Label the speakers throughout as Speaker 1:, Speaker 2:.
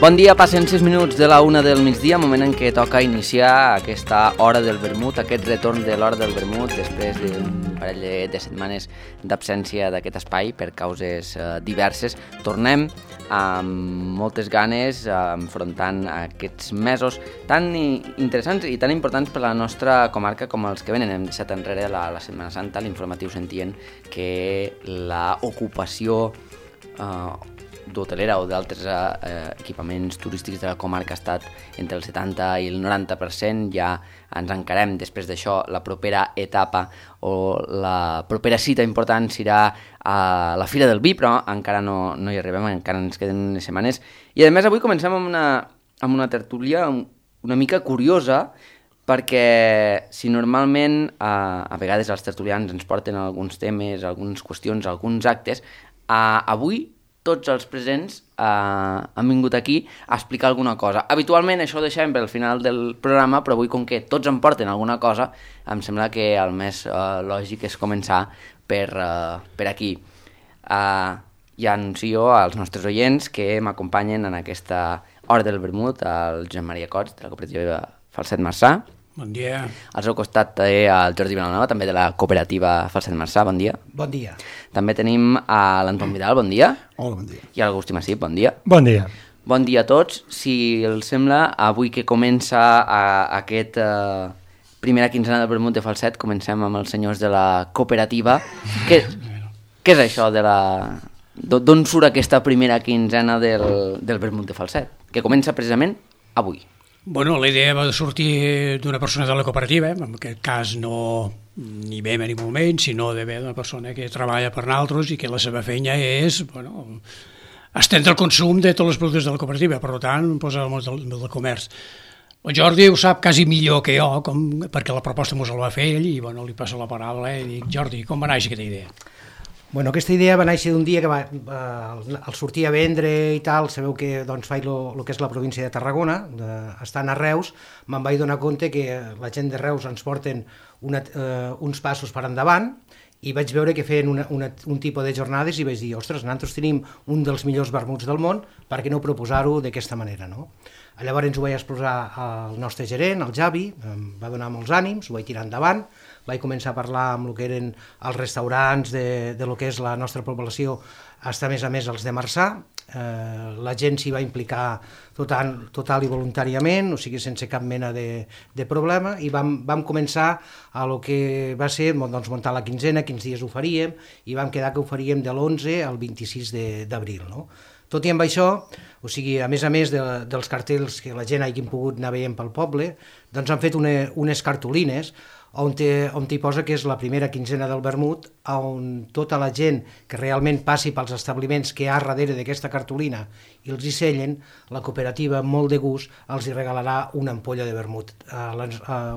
Speaker 1: Bon dia, passen 6 minuts de la 1 del migdia, moment en què toca iniciar aquesta hora del vermut, aquest retorn de l'hora del vermut després d'un parell de setmanes d'absència d'aquest espai per causes diverses. Tornem amb moltes ganes enfrontant aquests mesos tan interessants i tan importants per a la nostra comarca com els que venen. Hem deixat enrere la Setmana Santa, l'informatiu sentien que l'ocupació d'hotelera o d'altres equipaments turístics de la comarca ha estat entre el 70 i el 90%. Ja ens encarem després d'això la propera etapa o la propera cita important serà a la Fira del Vi, però encara no hi arribem, encara ens queden unes setmanes. I a més avui comencem amb una tertúlia una mica curiosa, perquè si normalment a vegades els tertulians ens porten alguns temes, algunes qüestions, alguns actes, avui tots els presents han vingut aquí a explicar alguna cosa. Habitualment això ho deixem pel final del programa, però avui, com que tots em porten alguna cosa, em sembla que el més lògic és començar per aquí. Ja anuncio als nostres oients que m'acompanyen en aquesta hora del vermut el Josep Maria Cots, de la cooperativa Falset Marçà.
Speaker 2: Bon dia.
Speaker 1: Al seu costat el Jordi Vilanova, també de la cooperativa Falset Marçà. Bon dia.
Speaker 3: Bon dia.
Speaker 1: També tenim l'Anton Vidal, bon dia.
Speaker 4: Hola, bon dia.
Speaker 1: I l'Agustí Massip, bon dia.
Speaker 4: Bon dia.
Speaker 1: Bon dia a tots. Si els sembla, avui que comença aquest primera quinzena del vermut de Falset, comencem amb els senyors de la cooperativa. Què és això de d'on surt aquesta primera quinzena del vermut de Falset? Que comença precisament avui.
Speaker 2: Bueno, la idea va sortir d'una persona de la cooperativa, en aquest cas no ni bé ni molt menys, sinó d'una persona que treballa per nosaltres i que la seva feina és estendre el consum de tots els productes de la cooperativa, per tant, posar el món del comerç. El Jordi ho sap quasi millor que jo, perquè la proposta mos el va fer ell, i li passo la paraula i dic, Jordi, com va néixer aquesta idea?
Speaker 3: Bueno, aquesta idea va néixer d'un dia que al sortir a vendre i tal, sabeu que faig el que és la província de Tarragona, estant a Reus, me'n vaig donar compte que la gent de Reus ens porten uns passos per endavant i vaig veure que feien un tipus de jornades i vaig dir, ostres, nosaltres tenim un dels millors vermuts del món, per què no proposar-ho d'aquesta manera, no? Llavors ho vaig exposar al nostre gerent, al Javi, em va donar molts ànims, ho vaig tirar endavant, vaig començar a parlar amb el que eren els restaurants de lo que és la nostra població, hasta a més els de Marçà. La gent s'hi va implicar total i voluntàriament, o sigui, sense cap mena de problema, i vam començar a lo que va ser muntar la quinzena, quins dies ho faríem, i vam quedar que ho faríem de l'11 al 26 d'abril, no? Tot i amb això, o sigui, a més dels cartells que la gent hagin pogut anar veient pel poble, doncs han fet unes cartolines on hi posa que és la primera quinzena del vermut, on tota la gent que realment passi pels establiments que hi ha darrere d'aquesta cartolina i els hi sellen, la cooperativa, amb molt de gust, els hi regalarà una ampolla de vermut.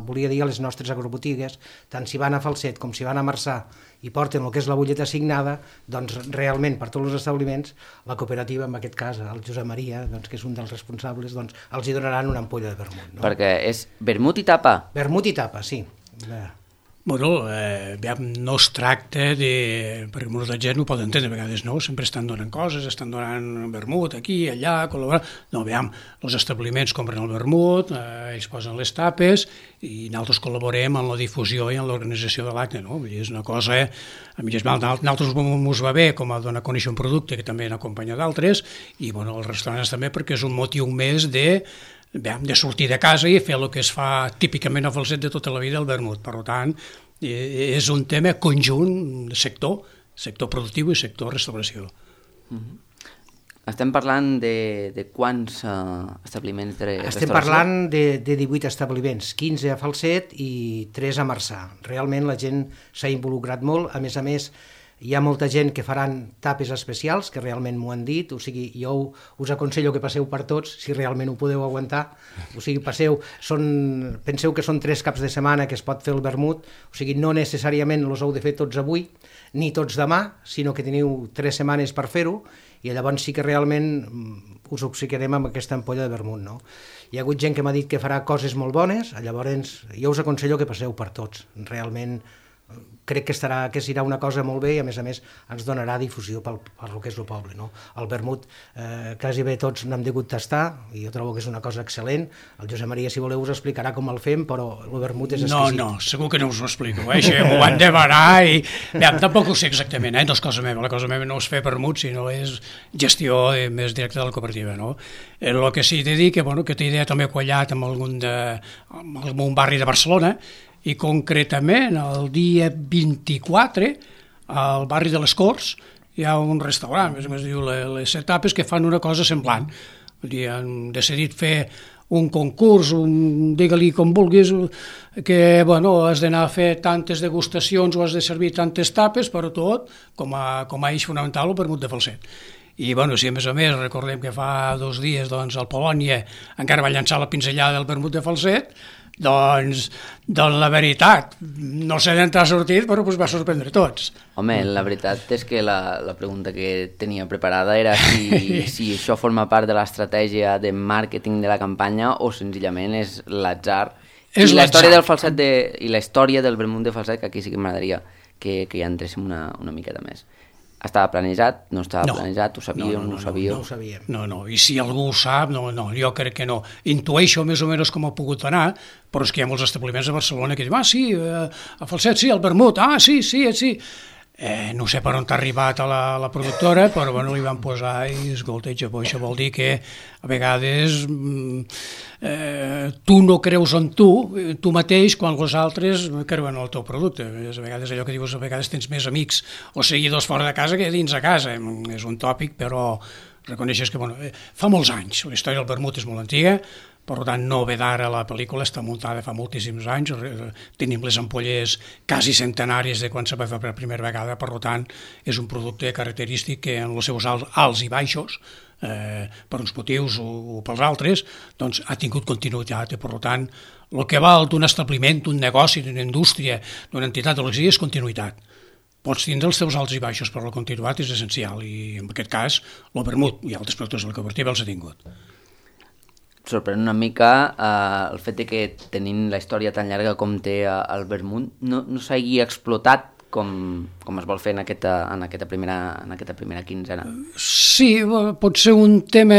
Speaker 3: Volia dir a les nostres agrobotigues, tant si van a Falset com si van a Marçà i porten el que és la butlleta assignada, doncs realment per tots els establiments, la cooperativa, en aquest cas el Josep Maria, que és un dels responsables, els hi donaran una ampolla de vermut. No?
Speaker 1: Perquè és vermut i tapa.
Speaker 3: Vermut i tapa, sí.
Speaker 2: Bueno, no es tracta de... perquè molta gent no ho pot entendre, a vegades no, sempre estan donant coses, estan donant vermut aquí, allà, col·laborant... No, els establiments compren el vermut, ells posen les tapes i nosaltres col·laborem en la difusió i en l'organització de l'acte, no? Vull dir, és una cosa... A mi nosaltres ens va bé com a donar a conèixer un producte que també n'acompanya d'altres i, els restaurants també, perquè és un motiu més de sortir de casa i fer el que es fa típicament a Falset de tota la vida, el vermut. Per tant, és un tema conjunt de sector productiu i sector restauració.
Speaker 1: Estem parlant de quants establiments de restauració?
Speaker 3: Estem parlant de 18 establiments, 15 a Falset i 3 a Marçà. Realment la gent s'ha involucrat molt, a més, hi ha molta gent que faran tapes especials, que realment m'ho han dit, o sigui, jo us aconsello que passeu per tots, si realment ho podeu aguantar, o sigui, penseu que són 3 caps de setmana que es pot fer el vermut, o sigui, no necessàriament els heu de fer tots avui, ni tots demà, sinó que teniu 3 setmanes per fer-ho, i llavors sí que realment us obsequiarem amb aquesta ampolla de vermut, no? Hi ha hagut gent que m'ha dit que farà coses molt bones, llavors jo us aconsello que passeu per tots, realment crec que serà una cosa molt bé i a més ens donarà difusió per lo que és el poble, no? El vermut quasi bé tots n'hem degut tastar i jo trobo que és una cosa excel·lent. El Josep Maria, si voleu, us explicarà com el fem, però el vermut és exquisit.
Speaker 2: No, segur que no us ho explico, això m'ho han de barar i tampoc ho sé exactament, no és cosa meva, la cosa meva no és fer vermut, sinó és gestió més directa de la cooperativa, no? El que sí t'he dit que té idea també quallat amb algun barri de Barcelona, i concretament el dia 24 al barri de les Corts hi ha un restaurant, més o menys diu les etapes, que fan una cosa semblant. Vull dir, han decidit fer un concurs, digue-li com vulguis, que has d'anar a fer tantes degustacions o has de servir tantes tapes, però tot com a eix fonamental el vermut de Falset. I si a més recordem que fa 2 dies el Polònia encara va llançar la pinzellada del vermut de Falset, doncs la veritat, no sé d'on ha sortit, però va sorprendre tots.
Speaker 1: Home, la veritat és que la pregunta que tenia preparada era si això forma part de l'estratègia de màrqueting de la campanya o senzillament és l'atzar. I la història del falset i la història del vermut de Falset, que aquí sí que m'agradaria que hi entréssim una miqueta més. Estava planejat? No estava planejat? Ho sabíeu? No ho sabíeu?
Speaker 3: No ho sabíem.
Speaker 2: No, i si algú ho sap, no, jo crec que no. Intueixo més o menys com ha pogut anar, però és que hi ha molts establiments a Barcelona que diuen, sí, a Falset sí, al vermut, sí. No sé per on t'ha arribat a la productora, però li van posar i escolta, això vol dir que a vegades tu no creus en tu mateix quan els altres creuen en el teu producte. A vegades allò que dius, a vegades tens més amics o seguidors fora de casa que dins de casa. És un tòpic, però reconeixes que fa molts anys, la història del vermut és molt antiga, per tant, no ve d'ara, la pel·lícula està muntada fa moltíssims anys, tenim les ampolles quasi centenàries de quan se va fer per primera vegada, per tant, és un producte característic que en els seus alts i baixos, per uns motius o pels altres, doncs ha tingut continuïtat, i per tant, el que val d'un establiment, d'un negoci, d'una indústria, d'una entitat de l'exili és continuïtat. Pots tindre els teus alts i baixos, però la continuïtat és essencial, i en aquest cas, el vermut i altres productes de la cooperativa els ha tingut.
Speaker 1: Sorprèn una mica el fet que tenint la història tan llarga com té el vermut no s'hagi explotat com es vol fer en aquesta primera quinzena.
Speaker 2: Sí, pot ser un tema,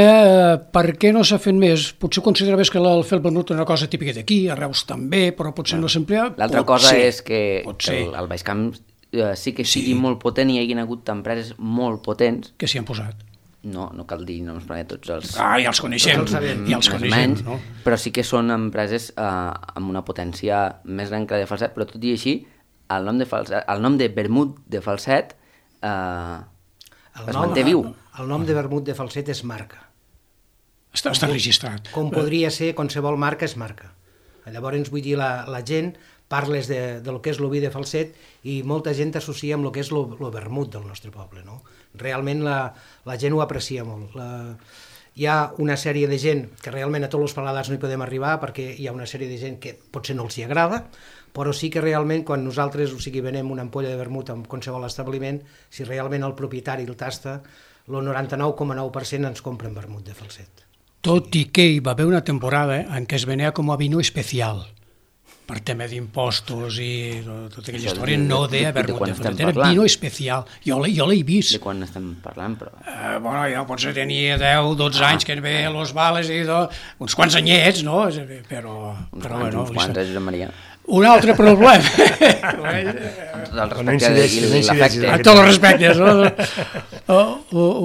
Speaker 2: per què no s'ha fet més? Potser consideraves que el fer el vermut era una cosa típica d'aquí, a Reus també, però potser no s'emplia.
Speaker 1: L'altra cosa és que el Baix Camp sí que sigui molt potent i hi hagin hagut empreses molt potents
Speaker 2: que s'hi han posat.
Speaker 1: No cal dir noms perquè tots els...
Speaker 2: ja els coneixem,
Speaker 1: menys, no? Però sí que són empreses amb una potència més gran que la de Falset, però tot i així, el nom de vermut de Falset es manté viu.
Speaker 3: El nom de vermut de Falset és marca.
Speaker 2: Està registrat.
Speaker 3: Com podria ser, qualsevol marca és marca. Llavors, vull dir, la gent parles del que és l'oví de Falset i molta gent associa amb el que és el vermut del nostre poble, no? Realment la gent ho aprecia molt. Hi ha una sèrie de gent que realment a tots els paladars no hi podem arribar perquè hi ha una sèrie de gent que potser no els hi agrada, però sí que realment quan nosaltres venem una ampolla de vermut en qualsevol establiment, si realment el propietari el tasta, el 99,9% ens compren vermut de Falset.
Speaker 2: Tot i que hi va haver una temporada en què es venia com a vino especial, per tema d'impostos i tota aquella història, no deia vermut de Falset, era vino especial. Jo l'he vist.
Speaker 1: De quan estem parlant, però...
Speaker 2: Jo potser tenia 10-12 anys que ve a Los Vales i uns quants anyets, no? Però
Speaker 1: uns quants, Josep Maria.
Speaker 2: Un altre problema.
Speaker 1: El respecte i l'afecte.
Speaker 2: A tots els respectes, no?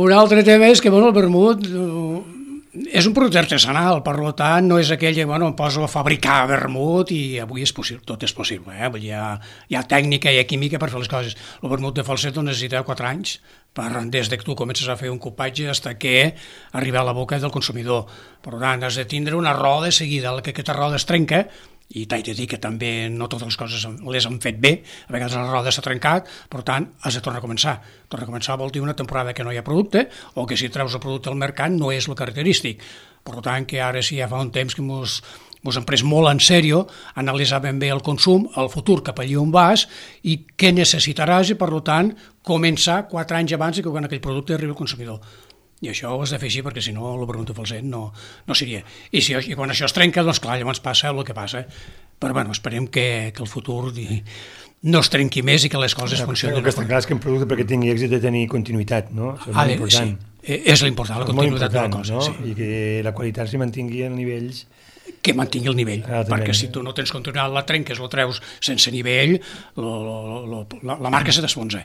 Speaker 2: Un altre tema és que el vermut és un producte artesanal, per tant, no és aquell que em poso a fabricar vermut i avui és possible, tot és possible. Hi ha tècnica i química per fer les coses. El vermut de Falset necessita 4 anys des que tu comences a fer un copatge fins que arriba a la boca del consumidor. Per tant, has de tindre una roda seguida, que aquesta roda es trenca, i t'he de dir que també no totes les coses les han fet bé, a vegades la roda s'ha trencat, per tant has de tornar a començar. Tornar a començar vol dir una temporada que no hi ha producte o que si treus el producte al mercat no és el característic. Per tant que ara sí ja fa un temps que mos hem pres molt en sèrio analitzar ben bé el consum, el futur cap allà on vas i què necessitaràs i per tant començar 4 anys abans que quan aquell producte arribi al consumidor. I això ho has de fer així perquè si no el vermut de Falset no seria. I quan això es trenca, doncs clar, llavors passa el que passa. Però esperem que el futur no es trenqui més i que les coses funcionin.
Speaker 4: El que està clar és que un producte perquè tingui èxit de tenir continuïtat, no? Això és molt important.
Speaker 2: Sí, és l'important, la continuïtat de la cosa.
Speaker 4: No?
Speaker 2: Sí.
Speaker 4: I que la qualitat s'hi mantingui a nivells...
Speaker 2: Que mantingui el nivell, perquè si tu no tens continuïtat, la trenques, lo treus sense nivell, la marca se t'esfonsa.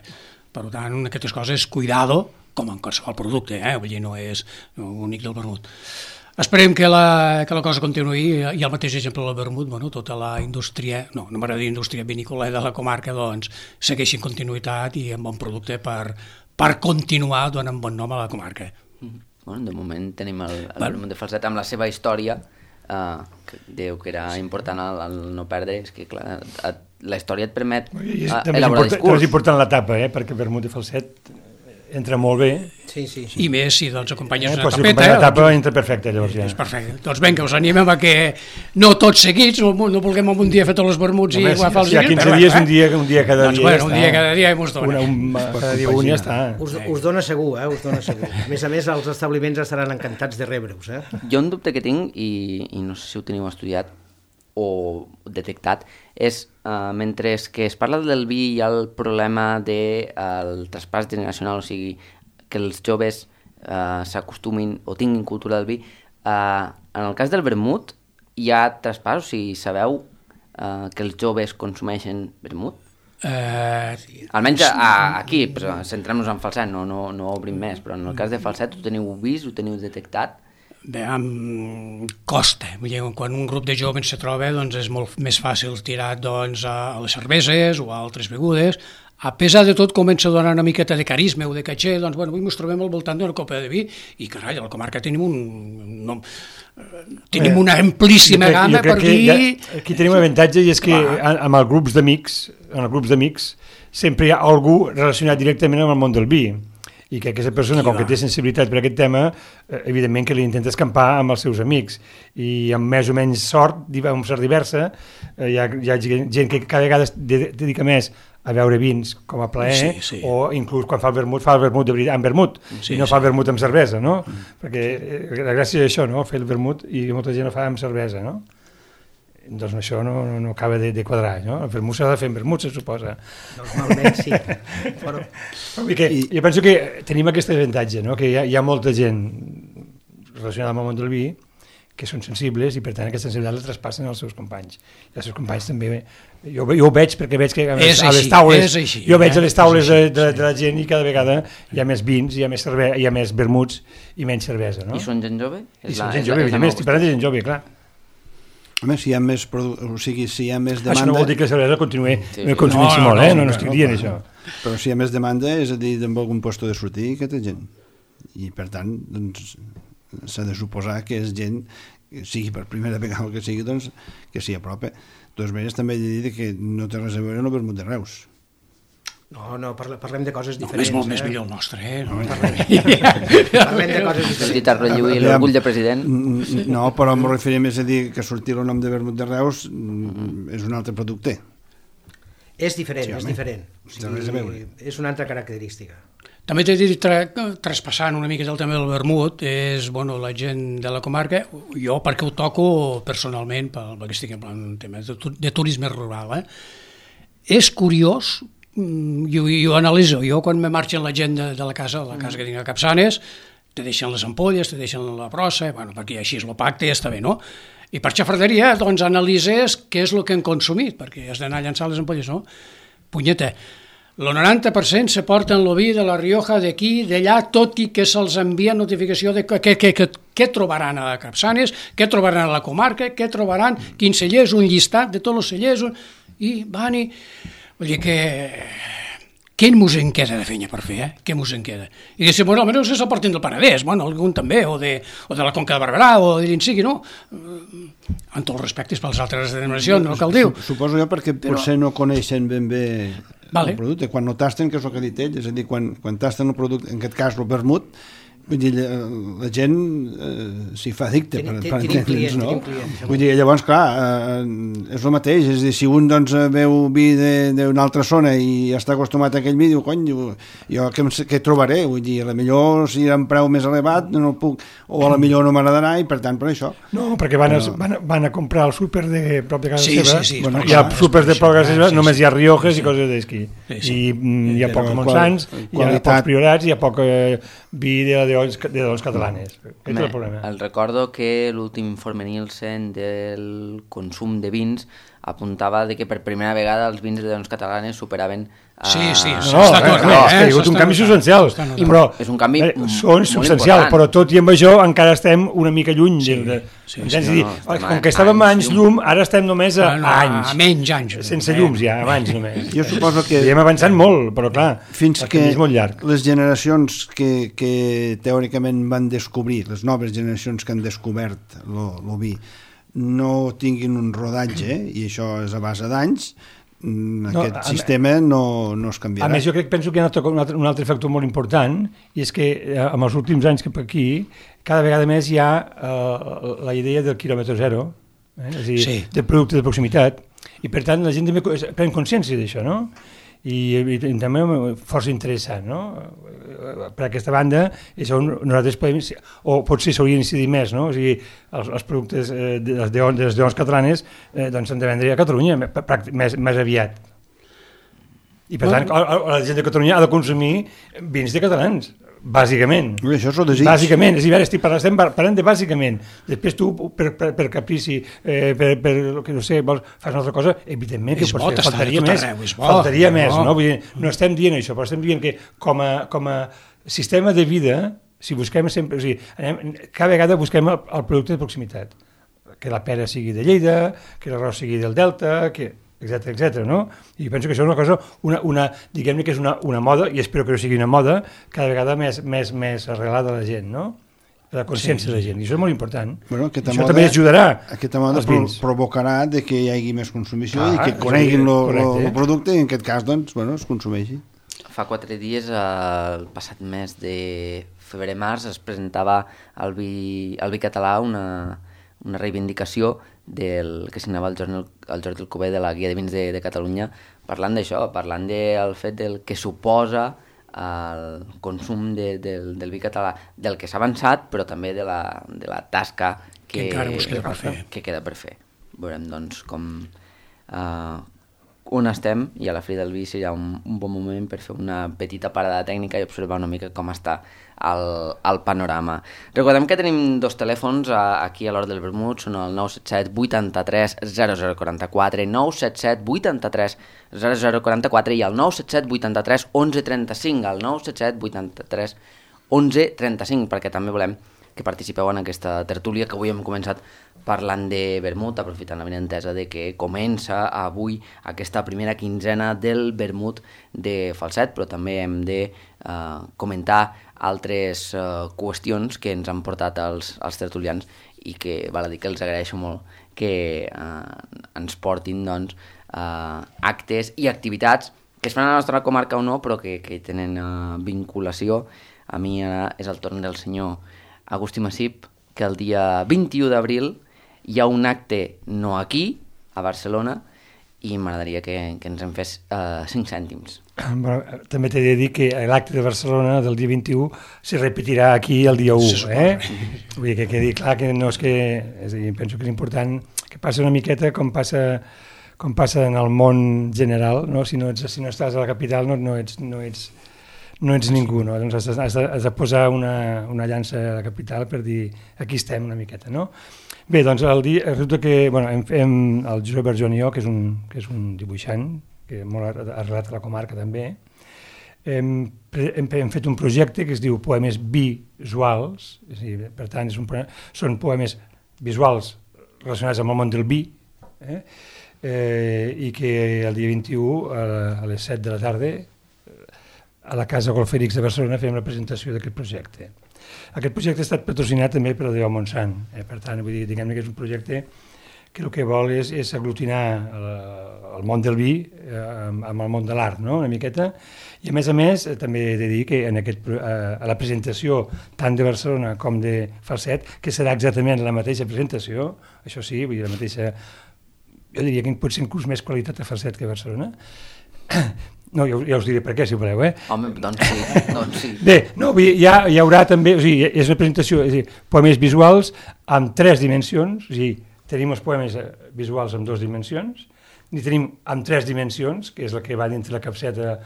Speaker 2: Per tant, aquestes coses, cuidado, com en qualsevol producte, vull dir, no és únic del vermut. Esperem que la cosa continuï, i el mateix exemple del vermut, tota la indústria, no m'agrada dir indústria vinícola de la comarca, doncs, segueixi en continuïtat i amb bon producte per continuar donant bon nom a la comarca.
Speaker 1: Bueno, de moment tenim el vermut de Falset amb la seva història, que diu que era important el no perdre, és que clar, la història et permet elaborar discurs.
Speaker 4: També és important la tapa, perquè el vermut de Falset entra molt bé.
Speaker 3: Sí.
Speaker 2: I més si doncs acompanyes una
Speaker 4: tapeta. Si
Speaker 2: tapeta,
Speaker 4: la tapa entra perfecte, llavors ja.
Speaker 2: És perfecte. Doncs vinga, us animem a que no tots seguits, no vulguem un dia fer tots els vermuts i agafar els
Speaker 4: dies. Si hi ha 15 dies, un dia cada dia.
Speaker 2: Doncs bueno, un dia cada dia i mos dona.
Speaker 4: Cada dia un ja està.
Speaker 3: Us dona segur, us dona segur. A més, els establiments estaran encantats de rebre-us.
Speaker 1: Jo un dubte que tinc, i no sé si ho teniu estudiat o detectat, és mentre que es parla del vi hi ha el problema del traspàs generacional, o sigui, que els joves s'acostumin o tinguin cultura del vi. En el cas del vermut hi ha traspàs, o sigui, sabeu que els joves consumeixen vermut? Almenys aquí, però centrem-nos en Falset, no obrim més, però en el cas de Falset ho teniu vist, ho teniu detectat?
Speaker 2: Bé, costa. Quan un grup de joves se troba, doncs és molt més fàcil tirar doncs, a les cerveses o a altres begudes. A pesar de tot, comença a donar una miqueta de carisma o de caché, doncs, bueno, avui ens trobem al voltant d'una copa de vi i, carai, a la comarca tenim una amplíssima gamma per dir...
Speaker 4: Aquí tenim un avantatge i és que amb els grups d'amics sempre hi ha algú relacionat directament amb el món del vi. I que aquesta persona, com que té sensibilitat per aquest tema, evidentment que li intenta escampar amb els seus amics. I amb més o menys sort, amb sort diversa, hi ha gent que cada vegada es dedica més a beure vins com a plaer, o inclús quan fa el vermut de veritat amb vermut, i no fa el vermut amb cervesa, no? Perquè la gràcia és això, no? Fer el vermut, i molta gent ho fa amb cervesa, no? Doncs això no acaba de quadrar, no? El vermut s'ha de fer amb vermut, se suposa.
Speaker 3: Normalment sí.
Speaker 4: Jo penso que tenim aquest avantatge, no? Que hi ha molta gent relacionada amb el món del vi que són sensibles i per tant aquesta sensibilitat la traspassen als seus companys. I els seus companys també... Jo ho veig perquè veig que a les taules... Jo veig a les taules de la gent i cada vegada hi ha més vins, hi ha més vermuts i menys cervesa, no?
Speaker 1: I són gent jove?
Speaker 4: I són gent jove, evidentment, estic parlant de gent jove, clar.
Speaker 5: A més, si hi ha més demanda...
Speaker 4: Això no vol dir que la cervesa continuï consumint-se molt, no estic dient això.
Speaker 5: Però si hi ha més demanda, és a dir, amb algun lloc de sortir que té gent. I per tant, doncs, s'ha de suposar que és gent, sigui per primera vegada que sigui, doncs, que s'hi apropa. De totes maneres, també he de dir que no té res a veure amb el vermut de Reus.
Speaker 3: No, parlem de coses diferents.
Speaker 2: És molt més millor el nostre,
Speaker 3: Parlem de coses diferents.
Speaker 1: Sentit a relleir l'orgull de president.
Speaker 5: No, però em referia més a dir que sortir el nom de vermut de Reus és un altre producte.
Speaker 3: És diferent, és diferent. És una altra característica.
Speaker 2: També t'he dit, traspassant una mica el tema del vermut, és la gent de la comarca, jo perquè ho toco personalment, perquè estic en plan tema de turisme rural, és curiós. Jo analitzo, quan me marxen la gent de la casa que tinc a Capçanes, te deixen les ampolles, te deixen la brossa, perquè així és el pacte i ja està bé, no? I per xafarderia, doncs, analitzes què és el que han consumit, perquè has d'anar a llançar les ampolles, no? Punyeta, el 90% se porten el vi de la Rioja d'aquí, d'allà, tot i que se'ls envia notificació de què trobaran a Capçanes, què trobaran a la comarca, què trobaran, quins cellers, un llistat de tots els cellers, i van i... Vull dir que... Què mos en queda de feina per fer, Què mos en queda? I que si, almenys se portin del Penedès, algun també, o de la Conca de Barberà, o de l'Insigui, no? Amb tots els respectes pels altres denominacions, no cal dir.
Speaker 5: Suposo jo perquè potser no coneixen ben bé el producte. Quan no tasten, que és el que ha dit ell, és a dir, quan tasten el producte, en aquest cas el vermut, Vull dir, la gent s'hi fa addicte per entendre'ns, no? Vull dir, llavors, clar, és el mateix, és a dir, si un doncs veu vi d'una altra zona i està acostumat a aquell vi, diu, cony, jo què trobaré? Vull dir, a la millor si era un preu més elevat no puc, o a la millor no m'agradarà i per tant per això.
Speaker 4: No, perquè van a comprar el súper de prop de casa seva,
Speaker 2: bueno,
Speaker 4: hi ha súpers de prop de casa seva, només hi ha Riojes i coses d'esquí, i hi ha poc Montsants, hi ha pocs Priorats, hi ha poc vi de dolç catalanes. Aquest és el problema.
Speaker 1: El recordo que l'últim informe Nielsen del consum de vins apuntava de que per primera vegada els vins de dolç catalanes superaven...
Speaker 4: ha hagut un canvi substancial, però
Speaker 1: és un canvi
Speaker 4: són substancial, però tot i amb això encara estem una mica lluny. Com que estàvem a anys llum, ara estem només a anys.
Speaker 2: A menys anys.
Speaker 4: Sense llums ja, a anys només.
Speaker 5: Jo suposo que...
Speaker 4: I hem avançat molt, però clar,
Speaker 5: fins que
Speaker 4: és molt llarg.
Speaker 5: Les generacions que teòricament van descobrir, les noves generacions que han descobert el vi, no tinguin un rodatge, i això és a base d'anys, aquest sistema no es canviarà.
Speaker 4: A més, jo penso que hi ha un altre factor molt important, i és que en els últims anys cap aquí, cada vegada més hi ha la idea del quilòmetre zero, és a dir, del producte de proximitat, i per tant la gent també pren consciència d'això, no? I també força interessant, no? Per aquesta banda, això nosaltres podem, o potser s'haurien d'incidir més, no? O sigui, els productes de les deons catalanes doncs s'han de vendre a Catalunya més aviat. I per tant, la gent de Catalunya ha de consumir vins de catalans, bàsicament.
Speaker 5: Això és el desig.
Speaker 4: Bàsicament, és a dir, estem parlant de bàsicament. Després tu, per caprici, per que no sé, fas una altra cosa, evidentment que pots fer, faltaria més, no? Vull dir, no estem dient això, però estem dient que com a sistema de vida, si busquem sempre, o sigui, cada vegada busquem el producte de proximitat, que la pera sigui de Lleida, que l'arròs sigui del Delta, etc, no? I penso que això és una cosa, diguem-ne que és una moda, i espero que no sigui una moda, cada vegada més arrelada a la gent, no? La consciència de la gent, i això és molt important.
Speaker 5: Bueno,
Speaker 4: això també ajudarà.
Speaker 5: Aquesta moda provocarà que hi hagi més consumició i que coneguin el producte i en aquest cas, doncs, es consumeixi.
Speaker 1: Fa 4 dies, el passat mes de febrer-març, es presentava al vi català una reivindicació del que signava el Jordi Alcover de la Guia de Vins de Catalunya, parlant d'això, parlant del fet del que suposa el consum del vi català, del que s'ha avançat, però també de la tasca que queda per fer. Veurem, doncs, on estem, i a la Fira del Vi serà un bon moment per fer una petita parada tècnica i observar una mica com està el panorama. Recordem que tenim 2 telèfons aquí a l'hora del vermut, són el 977 83 0044, 977 83 0044 i el 977 83 1135, el 977 83 1135, perquè també volem que participeu en aquesta tertúlia que avui hem començat parlant de vermut, aprofitant la benentesa de que comença avui aquesta primera quinzena del vermut de Falset, però també hem de comentar altres qüestions que ens han portat els tertulians i que val a dir que els agraeixo molt que ens portin doncs, actes i activitats que es fan a la nostra comarca o no, però que tenen vinculació. A mi ara és el torn del senyor Agustí Massip, que el dia 21 d'abril hi ha un acte no aquí, a Barcelona, i m'agradaria que ens en fes 5 cèntims.
Speaker 4: Bueno, també t'he de dir que l'acte de Barcelona del dia 21 se repetirà aquí el dia 1, Vull dir que quedi clar que no és que... És a dir, penso que és important que passi una miqueta com passa en el món general, no? Si no estàs a la capital no ets ningú, no? Doncs has de posar una llança a la capital per dir aquí estem una miqueta, no? Bé, doncs resulta que el Josep Berjon i jo, que és un dibuixant, que és molt arrelat a la comarca també, hem fet un projecte que es diu Poemes Visuals, és a dir, per tant són poemes visuals relacionats amb el món del vi, i que el dia 21 a les 7 de la tarda a la Casa Golfèrics de Barcelona fem la presentació d'aquest projecte. Aquest projecte ha estat patrocinat també per la Déu Montsant, per tant, vull dir, diguem-ne que és un projecte que el que vol és aglutinar el món del vi amb el món de l'art, no? Una miqueta. I a més, també he de dir que a la presentació tant de Barcelona com de Falset, que serà exactament la mateixa presentació, això sí, vull dir, la mateixa... Jo diria que pot ser inclús més qualitat a Falset que a Barcelona. No, ja us diré per què, si voleu,
Speaker 1: Home, doncs sí.
Speaker 4: Bé, no, hi haurà també, o sigui, és una presentació, és a dir, poemes visuals amb 3 dimensions, o sigui, tenim els poemes visuals amb 2 dimensions, i tenim amb 3 dimensions, que és el que va dintre la capseta,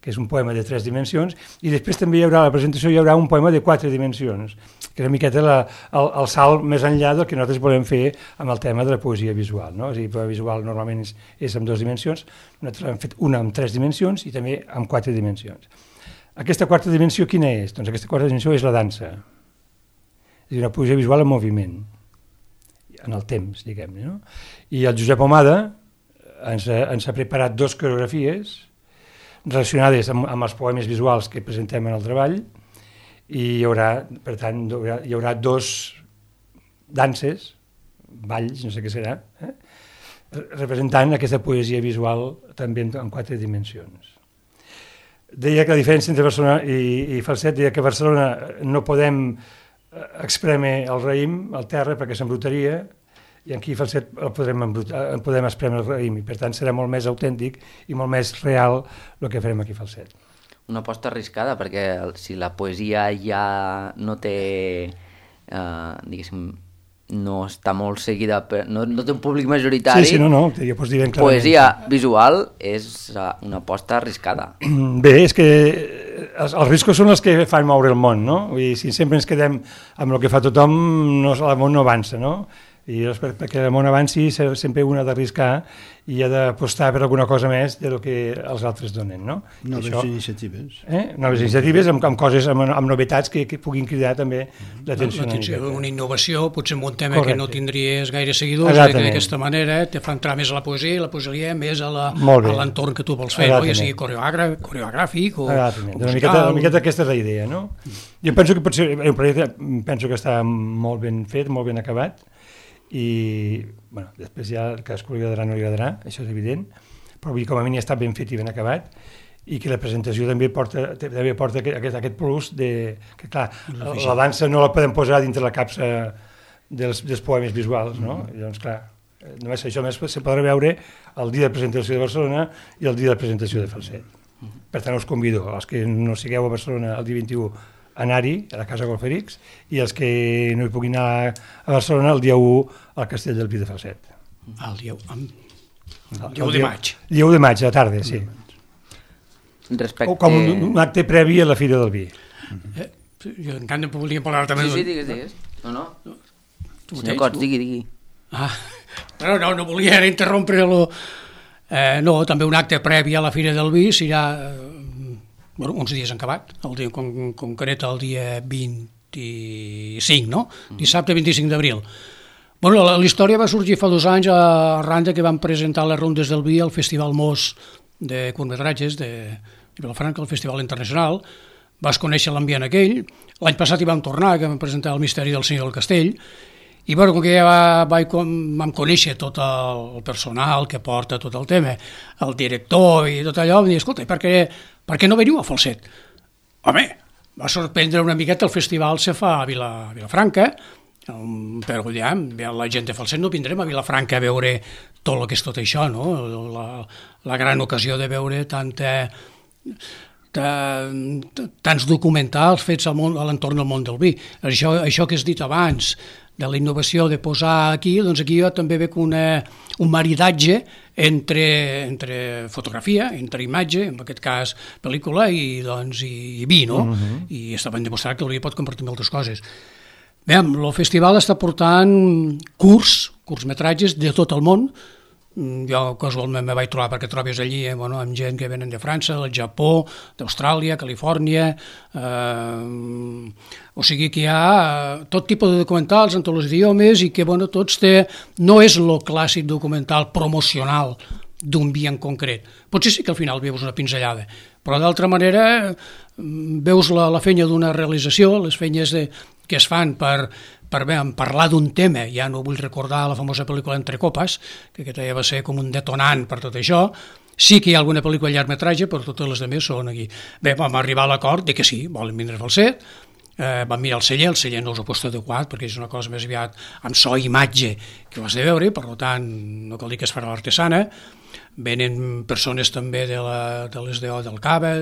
Speaker 4: que és un poema de 3 dimensions, i després també hi haurà, a la presentació hi haurà un poema de 4 dimensions, que és una miqueta el salt més enllà del que nosaltres volem fer amb el tema de la poesia visual, no? És a dir, el poema visual normalment és amb 2 dimensions, nosaltres hem fet una amb 3 dimensions i també amb 4 dimensions. Aquesta quarta dimensió quina és? Doncs aquesta quarta dimensió és la dansa, és a dir, una poesia visual en moviment, en el temps, diguem-ne, no? I el Josep Omada ens ha preparat 2 coreografies relacionades amb els poemes visuals que presentem en el treball, i hi haurà, per tant, hi haurà 2 danses, balls, no sé què serà, representant aquesta poesia visual també en 4 dimensions. Deia que la diferència entre Barcelona i Falset, deia que a Barcelona no podem exprémer el raïm al terra perquè s'embrutaria, i aquí a Falset podem esprémer el raïm, i per tant serà molt més autèntic i molt més real el que farem aquí a Falset.
Speaker 1: Una aposta arriscada, perquè si la poesia ja no té, diguéssim, no està molt seguida, no té un públic majoritari,
Speaker 4: sí, no, ja pots dir ben clarament.
Speaker 1: Poesia visual és una aposta arriscada.
Speaker 4: Bé, és que els riscos són els que fan moure el món, no? Vull dir, si sempre ens quedem amb el que fa tothom, el món no avança, no? I perquè el món avanci sempre un ha d'arriscar i ha d'apostar per alguna cosa més del que els altres donen, no?
Speaker 5: Noves iniciatives.
Speaker 4: Noves iniciatives amb coses, amb novetats que puguin cridar també l'atenció.
Speaker 2: Una innovació, potser en un tema que no tindries gaire seguidors, que d'aquesta manera te fa entrar més a la poesia més a l'entorn que tu vols fer, no? Ja sigui coreogràfic o
Speaker 4: musical. Una miqueta aquesta és la idea, no? Jo penso que pot ser un projecte, penso que està molt ben fet, molt ben acabat, i bueno, després ja cadascú li agradarà o no li agradarà, això és evident, però com a mínim està ben fet i ben acabat, i que la presentació també porta aquest plus de que clar, la dansa no la podem posar dintre la capsa dels poemes visuals, no? I doncs clar, només això més se podrà veure el dia de presentació de Barcelona i el dia de presentació de Falset. Per tant us convido, els que no sigueu a Barcelona el dia 21, anar-hi a la Casa Golferics, i els que no hi puguin anar a Barcelona el dia 1 al Castell del Pi de Falset.
Speaker 2: El dia 1 de maig.
Speaker 4: El dia 1 de maig, a la tarda, sí.
Speaker 1: Respecte...
Speaker 4: Com un acte previ a la Fira del Vi.
Speaker 2: Jo encara volia parlar també...
Speaker 1: Sí, digues. No. Senyor Cots, digui.
Speaker 2: No volia interrompre-lo. No, també un acte previ a la Fira del Vi serà... uns dies en acabat, concret el dia 25, no? Dissabte 25 d'abril. La història va sorgir fa 2 anys arran que vam presentar les rondes del vi al Festival Mos de curtmetratges de Vilafranca, el Festival Internacional. Vas conèixer l'ambient aquell. L'any passat hi vam tornar, que vam presentar El misteri del senyor del castell, i com que ja vam conèixer tot el personal que porta tot el tema, el director i tot allò, vam dir, escolta, per què no veniu a Falset? Home, va sorprendre una miqueta, el festival se fa a Vilafranca, però ja, la gent de Falset no vindrem a Vilafranca a veure tot el que és tot això, no? La gran ocasió de veure tants documentals fets a l'entorn del món del vi. Això que has dit abans, de la innovació de posar aquí, doncs aquí jo també veig un maridatge entre fotografia, entre imatge, en aquest cas pel·lícula, i vi, no? I està ben demostrat que el vi pot compartir moltes coses. Bé, el festival està portant curtmetratges de tot el món. Jo casualment me vaig trobar perquè trobes allí amb gent que venen de França, del Japó, d'Austràlia, Califòrnia, o sigui que hi ha tot tipus de documentals en tots els idiomes i que tots no és el clàssic documental promocional d'un vi en concret. Potser sí que al final veus una pinzellada, però d'altra manera veus la feina d'una realització, les feines que es fan per parlar d'un tema, ja no vull recordar la famosa pel·lícula Entre copes, que aquesta ja va ser com un detonant per tot això. Sí que hi ha alguna pel·lícula llargmetratge, però totes les altres són aquí. Bé, vam arribar a l'acord de que sí, volen vindre a Falset, vam mirar el celler no us ho posto adequat perquè és una cosa més aviat amb so i imatge que ho has de veure, per tant no cal dir que es farà l'artesana. Venen persones també de les DO del Cava,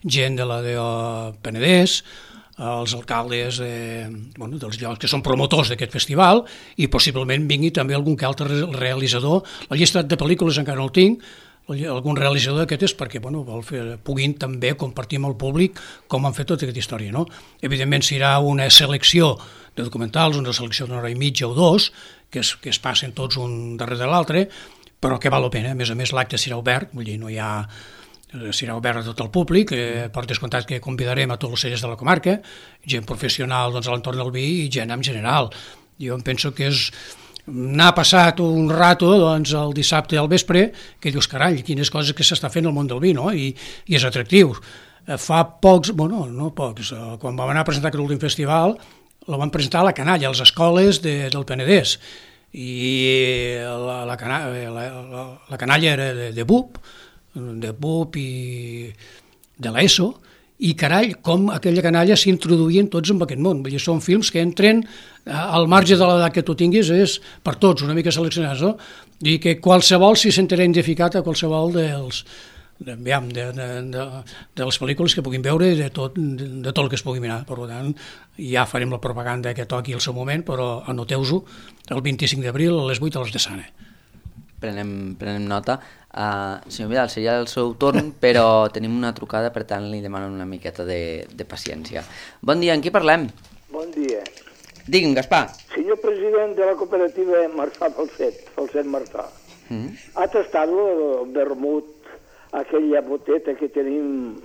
Speaker 2: gent de la DO Penedès, els alcaldes dels llocs que són promotors d'aquest festival, i possiblement vingui també algun que altre realitzador. La llista de pel·lícules encara no el tinc, algun realitzador d'aquest és perquè puguin també compartir amb el públic com han fet tota aquesta història. No? Evidentment serà una selecció de documentals, una selecció d'una hora i mitja o dos, que es passen tots un darrere de l'altre, però que val la pena. A més, l'acte serà obert, vull dir, serà obert a tot el públic, per descomptat que convidarem a tots els cellers de la comarca, gent professional a l'entorn del vi i gent en general. Jo em penso que n'ha passat un rato el dissabte al vespre que dius, carai, quines coses que s'està fent al món del vi, no? I és atractiu. Fa pocs, no pocs, quan vam anar a presentar aquest últim festival, la van presentar a la Canalla, a les escoles del Penedès, i la Canalla era de BUP i de l'ESO, i carai, com aquella canalla s'introduïen tots en aquest món. Vull dir, són films que entren al marge de l'edat que tu tinguis, és per tots, una mica seleccionats, no? I que qualsevol s'hi sentirà identificat a qualsevol de les pel·lícules que puguin veure, de tot el que es pugui mirar. Per tant, ja farem la propaganda que toqui al seu moment, però anoteu-ho el 25 d'abril a les 8 a les de Sana.
Speaker 1: Prenem nota. Senyor Vidal, seria el seu torn, però tenim una trucada, per tant li demano una miqueta de paciència. Bon dia, amb qui parlem?
Speaker 6: Bon dia.
Speaker 1: Digui'm, Gaspar.
Speaker 6: Senyor president de la cooperativa Marçà Falset Marçà, ha tastat el vermut, aquella boteta que tenim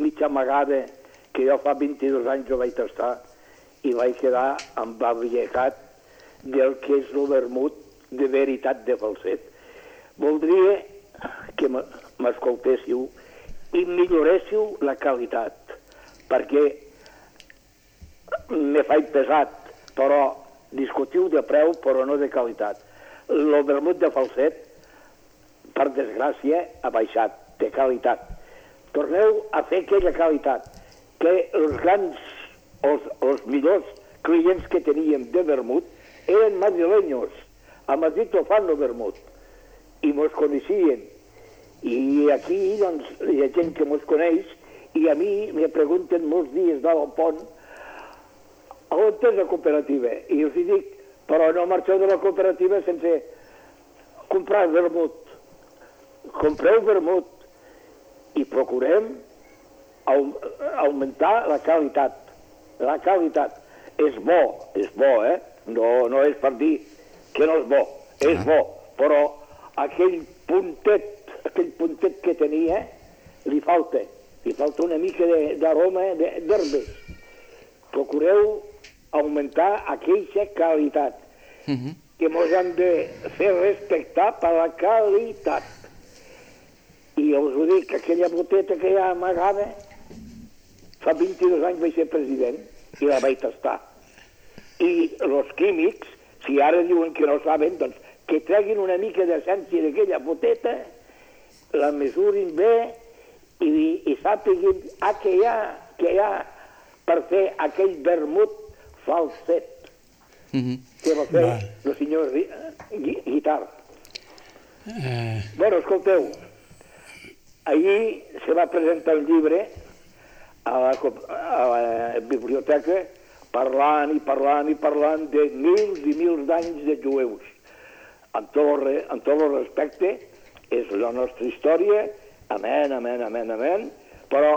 Speaker 6: mitja amagada, que jo fa 22 anys ho vaig tastar i vaig quedar embabllegat del que és el vermut de veritat de Falset. Voldria que m'escoltéssiu i milloréssiu la qualitat, perquè me faig pesat, però discutiu de preu, però no de qualitat. El vermut de Falset, per desgràcia, ha baixat de qualitat. Torneu a fer aquella qualitat, que els millors clients que teníem de vermut eren madrileños. A Madrid ho fan el vermut i mos coneixien, i aquí doncs hi ha gent que mos coneix, i a mi me pregunten molts dies del pont on és la cooperativa, i els dic, però no marxeu de la cooperativa sense comprar vermut. Compreu vermut i procurem augmentar la qualitat. La qualitat és bo, no és per dir que no és bo, és bo, però aquell puntet que tenia li falta una mica d'aroma d'herbes. Procureu augmentar aquella qualitat, que ens han de fer respectar per la qualitat. I us ho dic, aquella boteta que hi ha amagada, fa 22 anys vaig ser president i la vaig tastar. I els químics, si ara diuen que no saben, doncs que treguin una mica d'essència d'aquella boteta, la mesurin bé i sàpiguin que hi ha per fer aquell vermut Falset que va fer el senyor Guitart. Bueno, escolteu, ahir se va presentar un llibre a la biblioteca parlant de mils i mils d'anys de jueus. Amb tot el respecte, és la nostra història, amén, però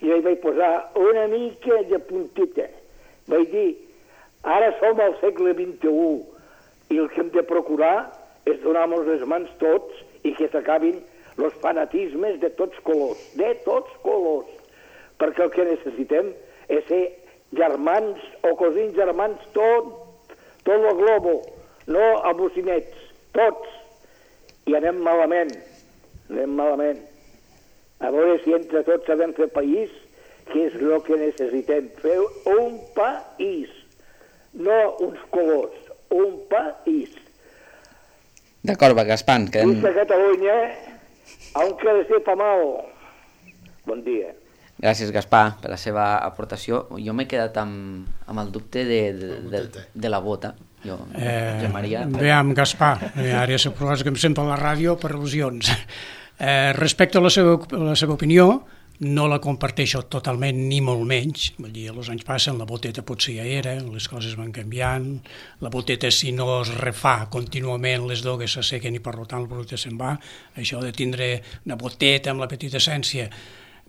Speaker 6: jo hi vaig posar una mica de puntita. Vaig dir, ara som al segle XXI i el que hem de procurar és donar-nos les mans tots i que s'acabin els fanatismes de tots colors, perquè el que necessitem és ser germans o cosins germans tot el globo, no abocinets, tots, i anem malament. A veure si entre tots sabem fer país, que és el que necessitem, fer un país. no uns colors, un país.
Speaker 1: D'acord, va, Gaspar.
Speaker 6: Junts a Catalunya, aunque le sepa mal. Bon dia.
Speaker 1: Gràcies, Gaspar, per la seva aportació. Jo m'he quedat amb el dubte de la bota. Josep Maria...
Speaker 2: Veiem, Gaspar, ara se proposa que em sento a la ràdio per al·lusions. Respecte a la seva opinió, no la comparteixo totalment ni molt menys. Vull dir, els anys passen, la boteta potser ja era, les coses van canviant, la boteta si no es refà contínuament les dogues s'assequen i per tant el producte se'n va. Això de tindre una boteta amb la petita essència,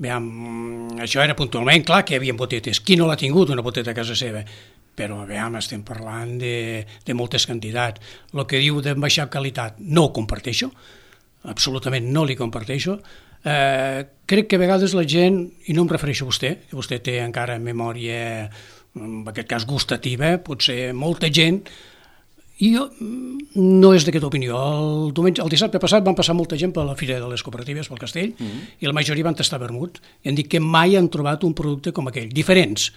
Speaker 2: això era puntualment, clar que hi havia botetes. Qui no l'ha tingut una boteta a casa seva? Però estem parlant de moltes quantitats. El que diu de baixar qualitat no ho comparteixo, absolutament no li comparteixo. Crec que a vegades la gent, i no em refereixo a vostè, que vostè té encara memòria, en aquest cas gustativa, potser molta gent, i jo no és d'aquesta opinió. El dissabte passat van passar molta gent per la Fira de les Cooperatives pel Castell i la majoria van tastar vermut i han dit que mai han trobat un producte com aquell. Diferents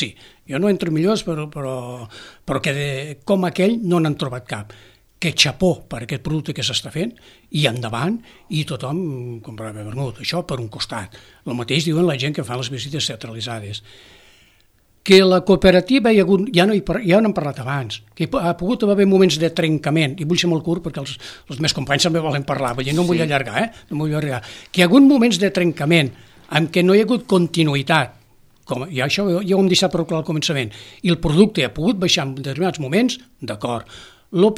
Speaker 2: sí. Jo no entro millors, però que com aquell no n'han trobat cap. Que xapó per aquest producte que s'està fent i endavant, i tothom comprava vermut. Això per un costat. El mateix diuen la gent que fan les visites teatralitzades. Que la cooperativa ja n'hem parlat abans, que ha pogut haver moments de trencament, i vull ser molt curt perquè els meus companys també volen parlar, no em vull allargar, no m'ho vull allargar, que hi ha hagut moments de trencament en què no hi ha hagut continuïtat, i això ja ho hem deixat prou clar al començament, i el producte ha pogut baixar en determinats moments, d'acord. El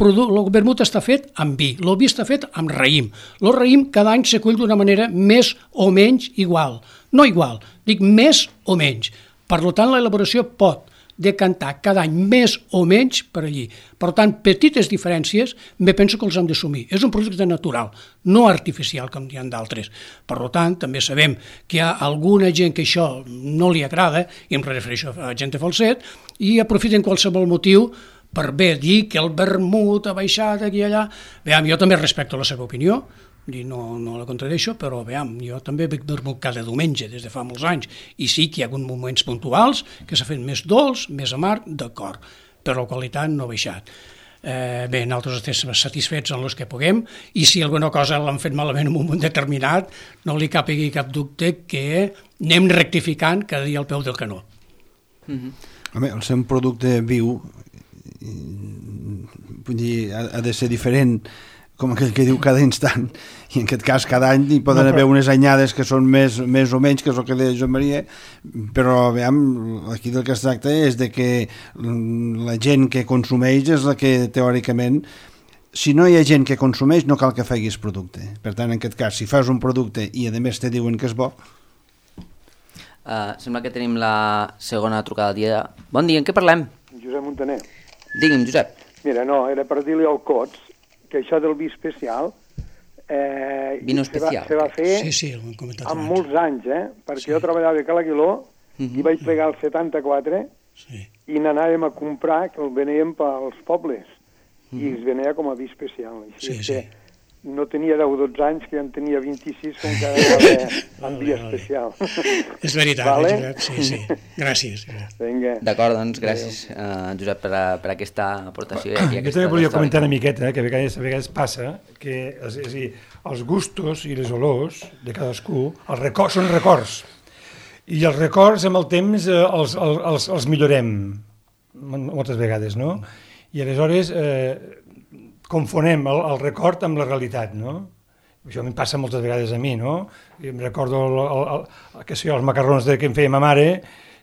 Speaker 2: vermut està fet amb vi, el vi està fet amb raïm. El raïm cada any s'acull d'una manera més o menys igual. No igual, dic més o menys. Per tant, l'elaboració pot decantar cada any més o menys per allí. Per tant, petites diferències, me penso que els hem d'assumir. És un producte natural, no artificial, com hi ha d'altres. Per tant, també sabem que hi ha alguna gent que això no li agrada, i em refereixo a gent de falset, i aprofiten qualsevol motiu per bé dir que el vermut ha baixat aquí i allà. Jo també respecto la seva opinió, no la contradeixo, però jo també bec vermut cada diumenge des de fa molts anys, i sí que hi ha hagut moments puntuals que s'ha fet més dolç, més amarg, d'acord, però la qualitat no ha baixat. Nosaltres estem satisfets en els que puguem, i si alguna cosa l'han fet malament en un moment determinat, no li capigui cap dubte que anem rectificant cada dia al peu del canó.
Speaker 5: Home, el ser un producte viu vull dir, ha de ser diferent, com aquell que diu cada instant, i en aquest cas cada any hi poden haver unes anyades que són més o menys, que és el que deia Joan Maria, però aquí del que es tracta és de que la gent que consumeix és la que teòricament, si no hi ha gent que consumeix no cal que facis producte. Per tant, en aquest cas, si fas un producte i a més te diuen que és bo...
Speaker 1: Sembla que tenim la segona trucada del dia. Bon dia, en què parlem?
Speaker 7: Josep Montaner.
Speaker 1: Digui'm, Josep.
Speaker 7: Mira, no, era per dir-li al Cots que això del vi especial
Speaker 1: Vino especial.
Speaker 7: Se va fer amb molts anys, perquè jo treballava a Calaguiló i vaig plegar el 74 i n'anàvem a comprar, que el veníem pels pobles, i es venia com a vi especial. Així que no tenia 10 o 12 anys, que ja en tenia 26, com que era amb vi especial.
Speaker 2: És veritat, Josep, sí. Gràcies.
Speaker 1: D'acord, doncs gràcies, Josep, per aquesta aportació.
Speaker 4: Jo també volia comentar una miqueta, que a vegades passa que els gustos i les olors de cadascú són records, i els records amb el temps els millorem moltes vegades, no? I aleshores confonem el record amb la realitat, no? Això em passa moltes vegades a mi, no? I em recordo els macarrons que em feia ma mare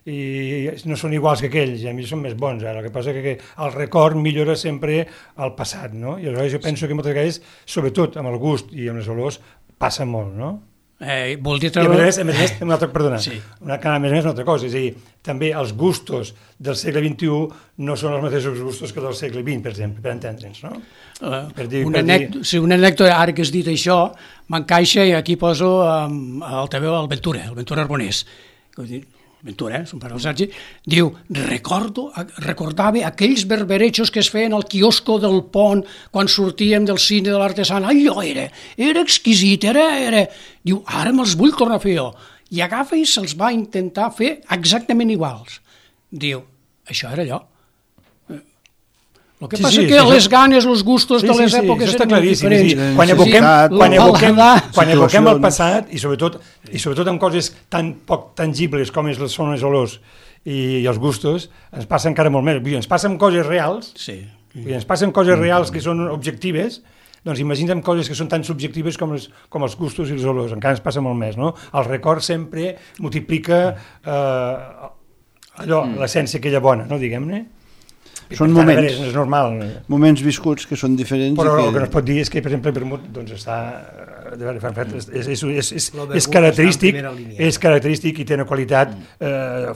Speaker 4: i no són iguals que aquells, a mi són més bons ara. El que passa és que el record millora sempre el passat, no? I aleshores jo penso que moltes vegades, sobretot amb el gust i amb les olors, passa molt, no?
Speaker 2: Vol dir
Speaker 4: I a més, una altra cosa, és a dir, també els gustos del segle XXI no són els mateixos gustos que del segle XX, per exemple, per entendre'ns, no?
Speaker 2: Una anècdota, ara que has dit això, m'encaixa, i aquí poso el Ventura Arbonés. Ventura, son pare el Sergi, diu, recordava aquells berberejos que es feien al quiosco del pont quan sortíem del cine de l'Artesana. Allò era exquisit, Diu, ara me'ls vull tornar a fer jo. I agafa i se'ls va intentar fer exactament iguals. Diu, això era allò. El que passa que les ganes, els gustos de les èpoques eren molt diferents.
Speaker 4: Quan evoquem el passat, i sobretot amb coses tan poc tangibles com són les olors i els gustos, ens passa encara molt més. Ens passa amb coses reals, ens passen coses reals que són objectives, doncs imaginem coses que són tan subjectives com els gustos i els olors, encara ens passa molt més, no? El record sempre multiplica l'essència aquella bona, no, diguem-ne?
Speaker 5: Són moments,
Speaker 4: és normal.
Speaker 5: Moments viscuts que són diferents.
Speaker 4: Però el que no es pot dir és que, per exemple, el vermut doncs està... és característic i té una qualitat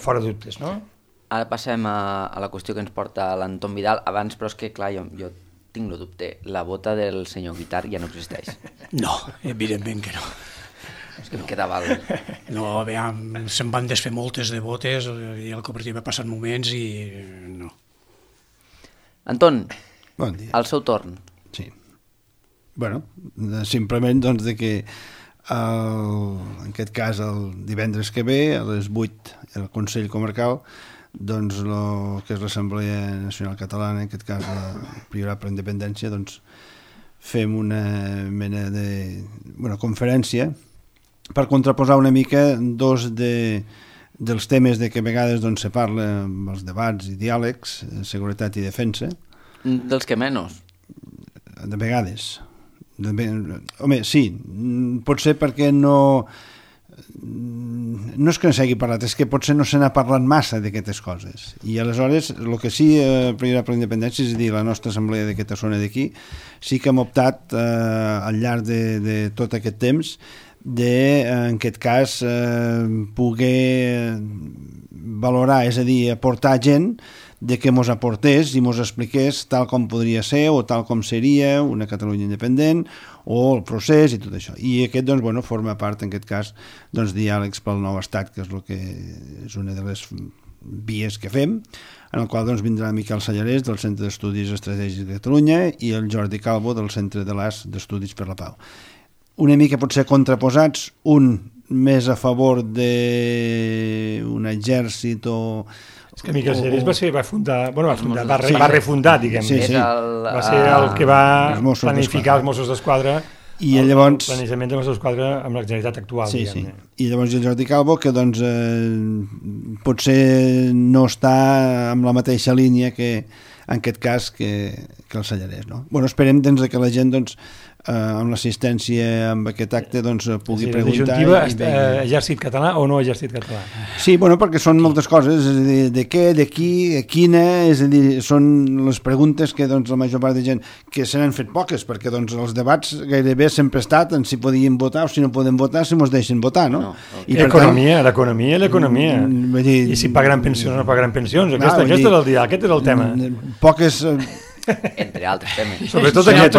Speaker 4: fora de dubtes, no?
Speaker 1: Ara passem a la qüestió que ens porta l'Anton Vidal. Abans, però és que, clar, jo tinc el dubte. La bota del senyor Guitar ja no existeix.
Speaker 2: No, evidentment que no.
Speaker 1: És que em quedava...
Speaker 2: No, se'n van desfer moltes de botes i el cooperatiu ha passat moments i no.
Speaker 1: Anton,
Speaker 5: bon dia.
Speaker 1: Al seu torn.
Speaker 5: Sí. Bueno, simplement doncs de que en aquest cas el divendres que ve a les 8 el Consell Comarcal doncs el que és l'Assemblea Nacional Catalana, en aquest cas el Priorat per la Independència, doncs fem una mena de conferència per contraposar una mica dos dels temes de que a vegades doncs, se parla amb els debats i diàlegs, seguretat i defensa.
Speaker 1: Dels que menys?
Speaker 5: De vegades. Home, sí, potser perquè no és que no s'hagi parlat, és que potser no se n'ha parlat massa d'aquestes coses. I aleshores, el que sí, Priorat per la Independència, és a dir, la nostra assemblea d'aquesta zona d'aquí, sí que hem optat al llarg de tot aquest temps en aquest cas poder valorar, és a dir, aportar gent de que mos aportés i mos expliqués tal com podria ser o tal com seria una Catalunya independent o el procés i tot això. I aquest doncs, forma part, en aquest cas, diàlegs pel nou estat, que és el que és una de les vies que fem, en el qual doncs, vindrà Miquel Sallarès del Centre d'Estudis Estratègics de Catalunya i el Jordi Calvo del Centre de l'AS d'Estudis per la Pau. Una mica potser contraposats, un més a favor d'un exèrcit o...
Speaker 4: És que Miquel Sallarès va refundar, diguem.
Speaker 5: Sí.
Speaker 4: Va ser el que va planificar els Mossos d'Esquadra i llavors el planejament de Mossos d'Esquadra amb la Generalitat actual.
Speaker 5: Sí. I llavors el Jordi Calvo, que doncs potser no està amb la mateixa línia que en aquest cas que el Sallarès, no? Esperem que la gent amb l'assistència amb aquest acte pugui preguntar.
Speaker 4: La disjuntiva, exèrcit català o no exèrcit català? Sí,
Speaker 5: perquè són moltes coses, és a dir, de què, de qui, quina, és a dir, són les preguntes que la major part de gent que se n'han fet poques, perquè els debats gairebé sempre ha estat en si podíem votar o si no podem votar, si ens deixen votar, no?
Speaker 4: L'economia. I si pagaran pensions o no pagaran pensions, aquest és el tema.
Speaker 5: Poques...
Speaker 1: Entre altres temes.
Speaker 4: Sobretot aquest,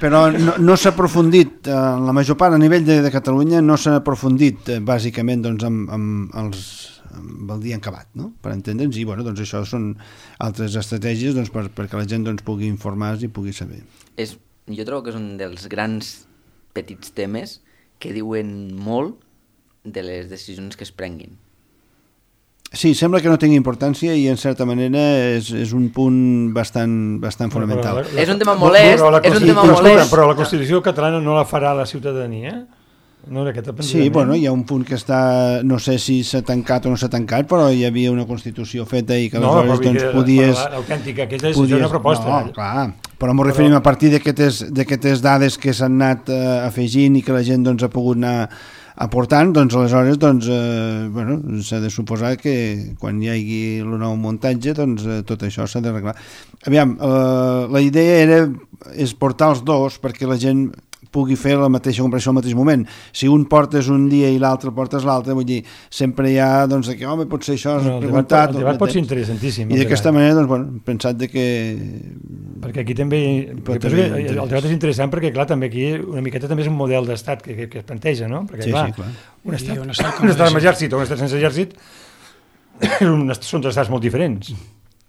Speaker 5: però no s'ha aprofundit, la major part a nivell de Catalunya no s'ha aprofundit bàsicament amb el dia acabat, no? Per entendre'ns, i això són altres estratègies perquè la gent pugui informar-se i pugui saber.
Speaker 1: Jo trobo que és un dels grans petits temes que diuen molt de les decisions que es prenguin.
Speaker 5: Sí, sembla que no tingui importància i en certa manera és un punt bastant fonamental.
Speaker 1: És un tema molest,
Speaker 4: però la Constitució catalana no la farà la ciutadania?
Speaker 5: Sí, hi ha un punt que està, no sé si s'ha tancat o no s'ha tancat, però hi havia una Constitució feta i que aleshores podies...
Speaker 4: L'autèntica, aquesta és una proposta.
Speaker 5: No, clar, però m'ho referim a partir d'aquestes dades que s'han anat afegint i que la gent ha pogut anar aportant, aleshores s'ha de suposar que quan hi hagi el nou muntatge tot això s'ha d'arreglar. Aviam, la idea és portar els dos perquè la gent pugui fer la mateixa comparació al mateix moment. Si un portes un dia i l'altre portes l'altre, vull dir, sempre hi ha que home, potser això has preguntat...
Speaker 4: El debat pot ser interessantíssim.
Speaker 5: I d'aquesta manera, hem pensat que...
Speaker 4: Perquè aquí també... El debat és interessant perquè, clar, també aquí una miqueta també és un model d'estat que es planteja, no? Perquè, clar, un estat amb exèrcit o un estat sense exèrcit són dos estats molt diferents.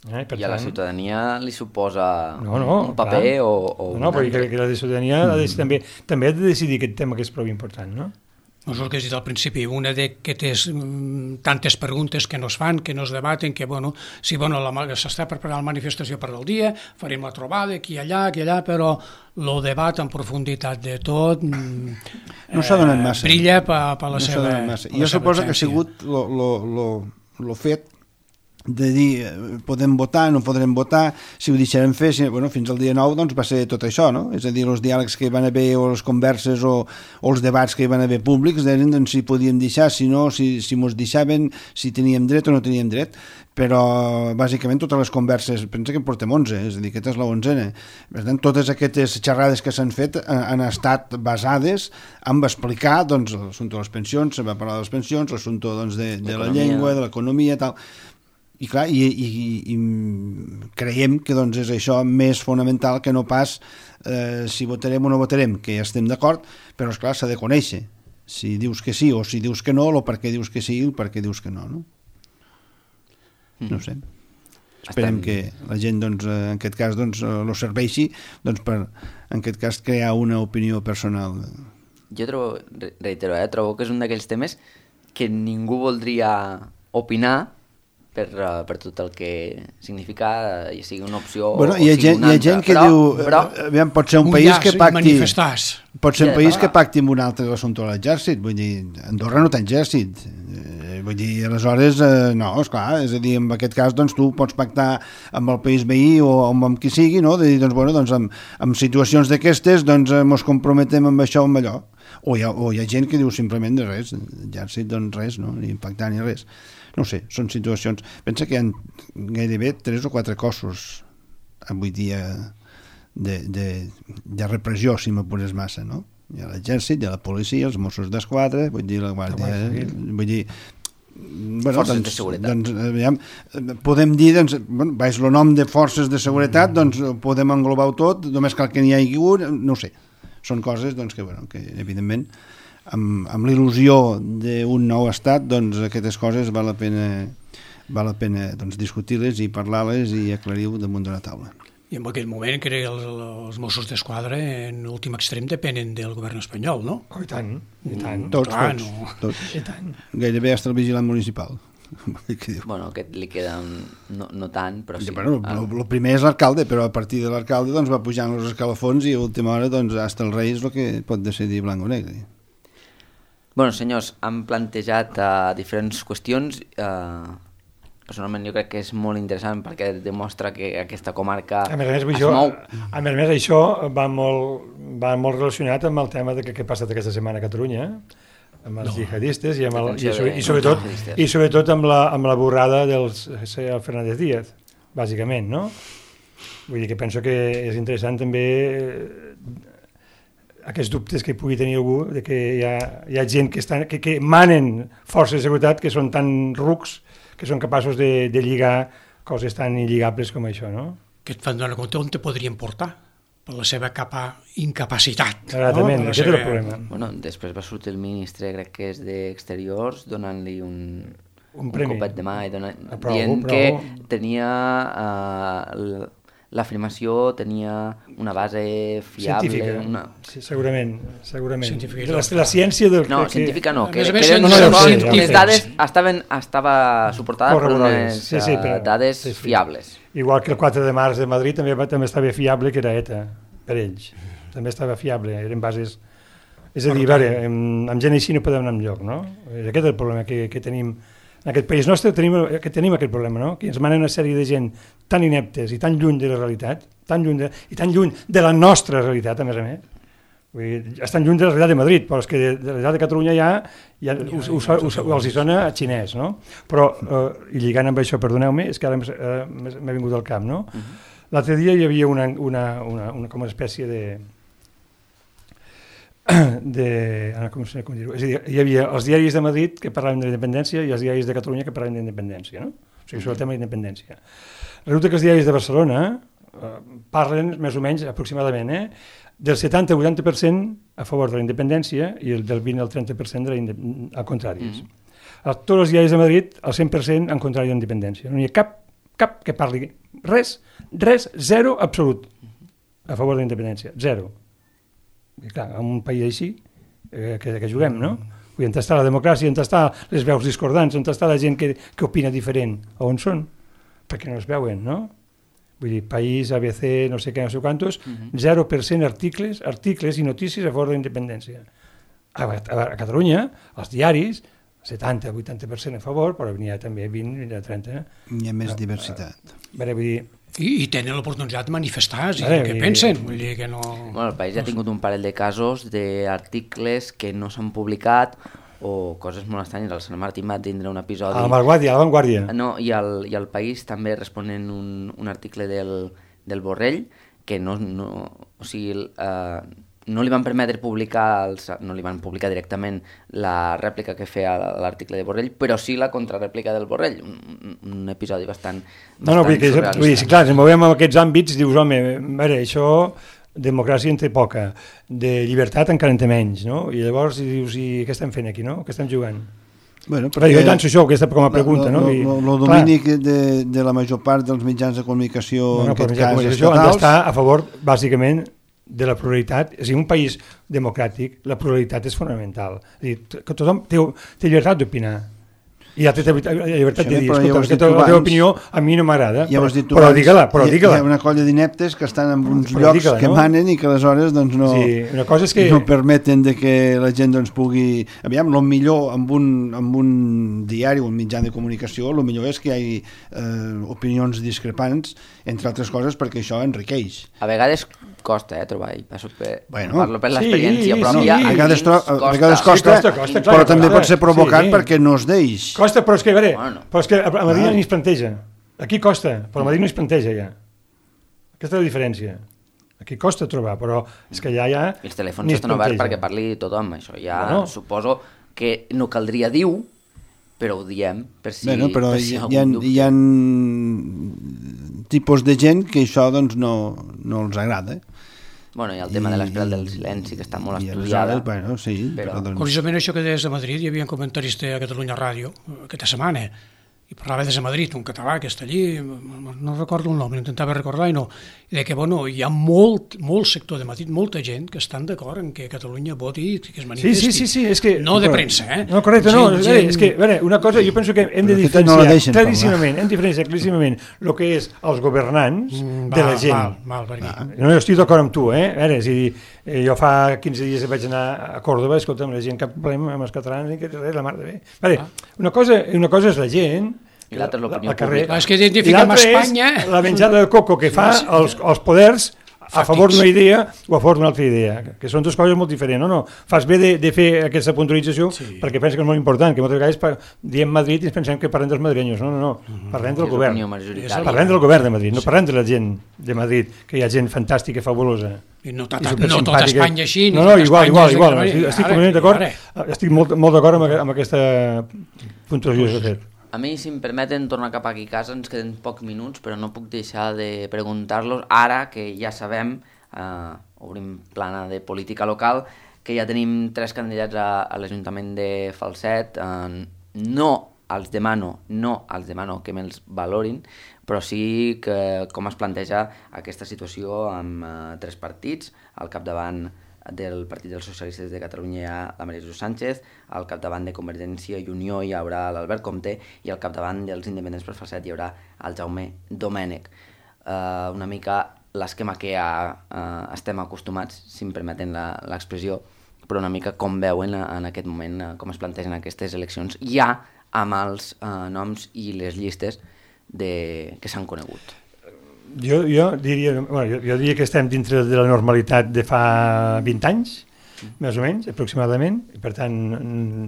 Speaker 1: I a la ciutadania li suposa un paper o
Speaker 4: no, perquè la ciutadania també ha de decidir aquest tema que és prou important, no?
Speaker 2: No és el que has dit al principi, una d'aquestes tantes preguntes que no es fan, que no es debaten, que, bueno, sí, bueno, s'està preparant la manifestació per al dia, farem la trobada aquí i allà, però el debat en profunditat de tot
Speaker 5: no s'ha donat massa.
Speaker 2: Brilla per la seva
Speaker 5: Jo suposo que ha sigut el fet de dir podem votar, no podrem votar, si ho deixarem fer, fins al dia 9 doncs va ser tot això, no? És a dir, els diàlegs que hi van haver o les converses o els debats que hi van haver públics deien doncs, si podíem deixar, si no, si mos deixaven, si teníem dret o no teníem dret, però bàsicament totes les converses, pensa que en portem 11, és a dir, aquesta és la 11a. Per tant, totes aquestes xerrades que s'han fet han estat basades en explicar doncs, l'assumpte de les pensions, se va parlar de les pensions, l'assumpte doncs, de la llengua, de l'economia, tal. I clar, i creiem que doncs, és això més fonamental que no pas si votarem o no votarem, que ja estem d'acord, però esclar, s'ha de conèixer si dius que sí o si dius que no, o per què dius que sí o per què dius que no, no? No sé. Esperem que la gent doncs, en aquest cas doncs, lo serveixi doncs, per en aquest cas crear una opinió personal.
Speaker 1: Jo trobo que és un d'aquells temes que ningú voldria opinar per tot el que significa, ja sigui una opció
Speaker 5: o sigui una altra. Hi ha gent que diu, pot ser un país que pacti... Pot ser un país que pacti amb un altre l'assumpte de l'exèrcit, vull dir, Andorra no té exèrcit, vull dir, aleshores, no, esclar, és a dir, en aquest cas, doncs, tu pots pactar amb el país veí o amb qui sigui, no?, de dir, doncs, bueno, doncs, en situacions d'aquestes, doncs, mos comprometem amb això o amb allò, o hi ha gent que diu simplement de res, exèrcit, doncs, res, no?, ni pactar ni res. No sé, són situacions... Pensa que hi ha gairebé 3 o 4 cossos avui dia de repressió, si m'apures massa, no? Hi ha l'exèrcit, hi ha la policia, els Mossos d'Esquadra, vull dir, la Guàrdia... Vull dir... Bueno,
Speaker 1: forces de seguretat.
Speaker 5: Doncs, podem dir, doncs, bueno, baix el nom de forces de seguretat, doncs podem englobar-ho tot, només cal que n'hi hagi un, no sé. Són coses doncs, que, bueno, que evidentment... amb l'il·lusió d'un nou estat, doncs aquestes coses val la pena doncs, discutir-les i parlar-les i aclarir-ho damunt d'una taula.
Speaker 2: I en aquell moment que els Mossos d'Esquadra en l'últim extrem depenen del govern espanyol, no?
Speaker 4: Oh, i tant, i tant.
Speaker 5: Tots. I tant. Gairebé hasta el vigilant municipal.
Speaker 1: Bueno, aquest li queda no tant, però sí.
Speaker 5: Bueno, el primer és l'alcalde, però a partir de l'alcalde doncs, va pujant els escalafons i a última hora doncs, hasta el rei és el que pot decidir blanc o negre.
Speaker 1: Bueno, senyors, han plantejat diferents qüestions. Personalment jo crec que és molt interessant perquè demostra que aquesta comarca es mou.
Speaker 4: A més, això va molt relacionat amb el tema de què ha passat aquesta setmana a Catalunya, amb els jihadistes i sobretot amb la borrada del Fernández Díaz, bàsicament, no? Vull dir que penso que és interessant també aquests dubtes que pugui tenir algú de que hi ha gent que manen forces de seguretat que són tan rucs que són capaços de lligar coses tan il·ligables com això, no?
Speaker 2: Que et fan donar compte on te podrien portar per la seva incapacitat.
Speaker 4: Exactament, no? Aquest és el problema.
Speaker 1: Bueno, després va sortir el ministre, crec que és d'Exteriors, donant-li un
Speaker 4: premi.
Speaker 1: copet de mà i dient que tenia... l'afirmació tenia una base fiable...
Speaker 4: Científica, sí, segurament. La ciència...
Speaker 1: Científica no, que les dades estava suportada per unes dades fiables.
Speaker 4: Igual que el 4 de març de Madrid també estava fiable, que era ETA, per ells. També estava fiable, eren bases... És a dir, amb gent així no podem anar enlloc, no? Aquest és el problema que tenim. En aquest país nostre tenim aquest problema, no? Que ens manen una sèrie de gent tan ineptes i tan lluny de la realitat, tan lluny de la nostra realitat, a més. Vull dir, estan lluny de la realitat de Madrid, però és que de la realitat de Catalunya ja els hi sona a xinès, no? Però, i lligant amb això, perdoneu-me, és que ara m'ha vingut al cap, no? L'altre dia hi havia una com una espècie com dir-ho? És a dir, hi havia els diaris de Madrid que parlaven de la independència i els diaris de Catalunya que parlaven de la independència, no? O sigui, sobre el tema de la independència. Resulta que els diaris de Barcelona parlen més o menys aproximadament del 70-80% a favor de la independència i del 20 al 30% al contrari. Tots els diaris de Madrid, el 100% en contrari de la independència. No hi ha cap que parli res, zero absolut a favor de la independència, zero. I clar, en un país així que juguem, no? On està la democràcia, on està les veus discordants, on està la gent que opina diferent? On són? Perquè no es veuen, no? Vull dir, País, ABC, no sé què, no sé quantos, 0% articles i notícies a favor de la independència. A Catalunya, els diaris, 70-80% a favor, però n'hi ha també 20-30.
Speaker 5: Hi ha més diversitat.
Speaker 4: Vull dir,
Speaker 2: I tenen l'oportunitat de manifestar, què pensen? Vull dir que no...
Speaker 1: Bueno, el País ha tingut un parell de casos d'articles que no s'han publicat o coses molt estranyes. El Sant Martí va tindre un episodi...
Speaker 4: A l'Avantguàrdia.
Speaker 1: No, i el País també responent un article del Borrell que no li van permetre publicar, no li van publicar directament la rèplica que feia l'article de Borrell, però sí la contrarèplica del Borrell, un episodi bastant surrealista.
Speaker 4: Vull dir, clar, si ens movem en aquests àmbits, dius, home, això, democràcia en té poca, de llibertat encara en té menys, no? I llavors dius, i què estem fent aquí, no? Què estem jugant?
Speaker 5: Bueno,
Speaker 4: però jo llanço això, aquesta com a pregunta, no?
Speaker 5: El domini de la major part dels mitjans de comunicació, en aquest cas estatals...
Speaker 4: Han d'estar a favor, bàsicament, de la pluralitat. És a dir, un país democràtic, la pluralitat és fonamental. És a dir, que tothom té llibertat d'opinar. I ja té llibertat de dir, escolta, la teva opinió a mi no m'agrada, però digue-la.
Speaker 5: Hi ha una colla d'ineptes que estan en uns llocs que manen i que aleshores no permeten que la gent pugui... Aviam, el millor amb un diari o un mitjà de comunicació, el millor és que hi hagi opinions discrepants, entre altres coses, perquè això enriqueix.
Speaker 1: A vegades costa trobar, parlo per l'experiència pròpia.
Speaker 5: A vegades costa, però també pot ser provocant perquè no es deix.
Speaker 4: Costa, però és que, a Madrid no es planteja. Aquí costa, però a Madrid no es planteja ja. Aquesta és la diferència. Aquí costa trobar, però és que ja...
Speaker 1: Els telèfons estan oberts perquè parli tothom, això ja suposo que no caldria dir-ho, però ho diem per si...
Speaker 5: Però hi ha tipus de gent que això no els agrada.
Speaker 1: Bueno, i el tema de l'esperal del silenci, que està molt estudiada.
Speaker 2: Curiosament, això que deies de Madrid, hi havia un comentarista a Catalunya Ràdio aquesta setmana, i parlava des de Madrid, un català que està allí, no recordo el nom, intentava recordar i no, i que hi ha molt sector de Madrid, molta gent que estan d'acord en que Catalunya voti i que es manifesti.
Speaker 4: Sí, és que...
Speaker 2: No de premsa,
Speaker 4: No, correcte, no, és que, una cosa, jo penso que hem de diferenciar claríssimament el que és els governants de la gent. No, jo estic d'acord amb tu, és a dir, jo fa 15 dies vaig anar a Còrdoba, escolta'm, la gent cap problema amb els catalans i que res, la mar de bé. Una cosa és la gent,
Speaker 1: i l'altre és l'opinió pública.
Speaker 2: És que identifiquem Espanya...
Speaker 4: és la menjada de coco que fa els poders a favor d'una idea o a favor d'una altra idea, que són dues coses molt diferents. No, fas bé de fer aquesta puntualització perquè penso que és molt important, que moltes vegades diem Madrid i ens pensem que parlem dels madrilenyos. No, parlem del govern. Parlem del govern de Madrid, no parlem de la gent de Madrid, que hi ha gent fantàstica i fabulosa.
Speaker 2: I no tot Espanya així.
Speaker 4: No, igual. Estic completament d'acord. Estic molt d'acord amb aquesta puntuació que s'ha fet.
Speaker 1: A mi, si em permeten tornar cap aquí a casa, ens queden pocs minuts, però no puc deixar de preguntar-los, ara que ja sabem, obrim plana de política local, que ja tenim 3 candidats a l'Ajuntament de Falset. No els demano que me'ls valorin, però sí que com es planteja aquesta situació amb 3 partits, al capdavant del Partit dels Socialistes de Catalunya hi ha la Maria Jesús Sánchez, al capdavant de Convergència i Unió hi haurà l'Albert Comte i al capdavant dels Independents per Falset hi haurà el Jaume Domènech. Una mica l'esquema que ja estem acostumats, si em permeten l'expressió, però una mica com veuen en aquest moment com es plantegen aquestes eleccions ja amb els noms i les llistes que s'han conegut.
Speaker 4: Jo diria que estem dintre de la normalitat de fa 20 anys, més o menys, aproximadament, i per tant,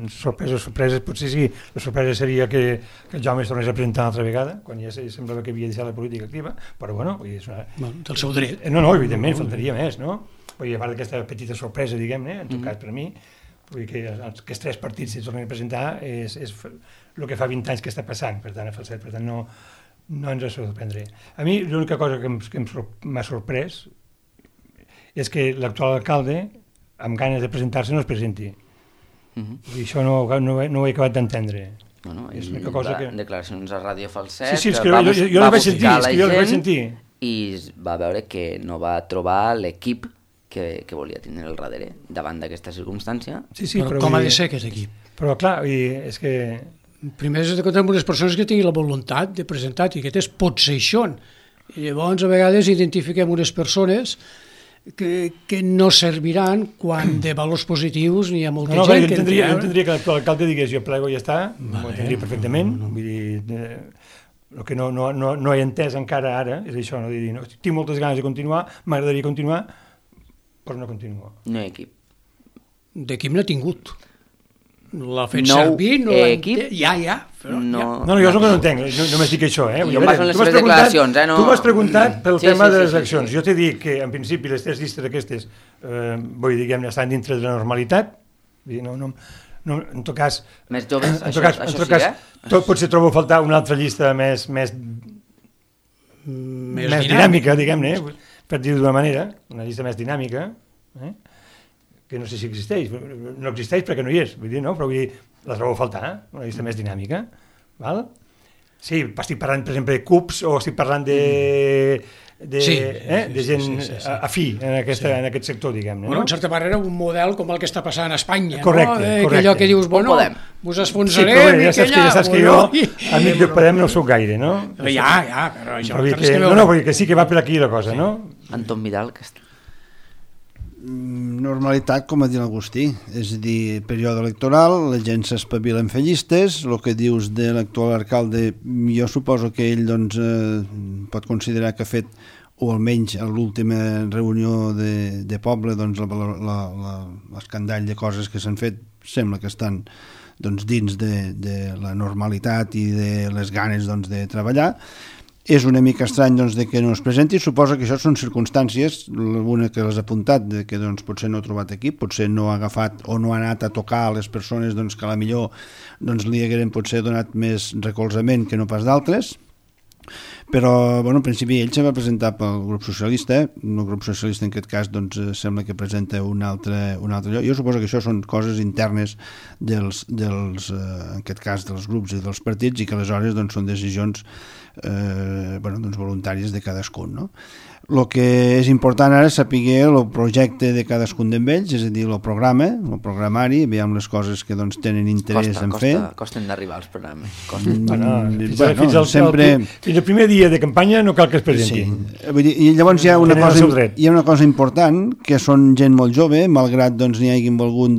Speaker 4: sorpreses, potser sí, la sorpresa seria que el Jaume es tornés a presentar una altra vegada, quan ja semblava que havia deixat la política activa, però bueno,
Speaker 2: del seu dret.
Speaker 4: No, evidentment, faltaria més, no? Vull dir, a part d'aquesta petita sorpresa, diguem-ne, en tot cas per mi, vull dir que aquests 3 partits es tornen a presentar és el que fa 20 anys que està passant, per tant, a Falset, per tant, no ens ha de sorprendre. A mi l'única cosa que m'ha sorprès és que l'actual alcalde, amb ganes de presentar-se, no es presenti. I això no ho he acabat d'entendre.
Speaker 1: És una cosa que... Declaracions a Ràdio Falset,
Speaker 4: que va buscar
Speaker 1: la gent i va veure que no va trobar l'equip que volia tenir al darrere davant d'aquesta circumstància.
Speaker 2: Sí, però com ha de ser aquest equip?
Speaker 4: Però clar, és que...
Speaker 2: Primer has de comptar amb unes persones que tinguin la voluntat de presentar, i aquest pot ser això. I llavors a vegades identifiquem unes persones que no serviran quan de valors positius n'hi ha molta gent que...
Speaker 4: Jo entendria que l'alcalde digués jo plego i ja està, ho entendria perfectament, vull dir... El que no he entès encara ara és això, no? Dir, tinc moltes ganes de continuar, m'agradaria continuar, però no continuo.
Speaker 1: No hi ha equip.
Speaker 2: D'equip n'ha tingut. L'ha fet servir, no
Speaker 1: equip?
Speaker 2: Ja. Però
Speaker 4: no, jo és el que no entenc, només dic això.
Speaker 1: Jo em baso en les seves declaracions.
Speaker 4: Tu m'has preguntat pel tema de les accions. Jo t'he dit que, en principi, les 3 llistes aquestes, vull dir, diguem-ne, estan dintre de la normalitat. En tot cas...
Speaker 1: Més joves, això sí,
Speaker 4: Potser trobo a faltar una altra llista més dinàmica, diguem-ne, per dir-ho d'una manera, una llista més dinàmica, que no sé si existeix, no existeix perquè no hi és, vull dir, no? Però vull dir, la trobo a faltar, una llista més dinàmica, val? Sí, estic parlant, per exemple, de CUPs o estic parlant de gent afí en aquest sector, diguem-ne.
Speaker 2: En certa manera, un model com el que està passant a Espanya,
Speaker 4: correcte.
Speaker 2: Que allò que dius, bueno, us esfonsarem i que
Speaker 4: ja saps que jo, amic de Podem, no sóc gaire, no?
Speaker 2: Ja, però això...
Speaker 4: No, perquè sí que va per aquí la cosa, no?
Speaker 1: Anton Vidal, que està...
Speaker 5: Normalitat, com ha dit l'Agustí, és a dir, període electoral, la gent s'espavila en fer llistes, el que dius de l'actual alcalde, jo suposo que ell pot considerar que ha fet, o almenys a l'última reunió de poble, l'escandall de coses que s'han fet sembla que estan dins de la normalitat i de les ganes de treballar. És una mica estrany de que no es presenti, suposa que això són circumstàncies, una que les ha apuntat, que potser no ha trobat equip, potser no ha agafat o no ha anat a tocar a les persones que a la millor li hagueren potser donat més recolzament que no pas d'altres, però en principi ell se va presentar pel grup socialista, el grup socialista en aquest cas sembla que presenta un altre lloc. Jo suposo que això són coses internes en aquest cas dels grups i dels partits, i que aleshores són decisions voluntàries de cadascun, no? El que és important ara és saber el projecte de cadascun d'ells, és a dir, el programari, veiem les coses que tenen interès en fer.
Speaker 1: Costen d'arribar als programes.
Speaker 4: Fins al primer dia de campanya no cal que es presentin.
Speaker 5: I llavors hi ha una cosa important, que són gent molt jove, malgrat n'hi hagin volgut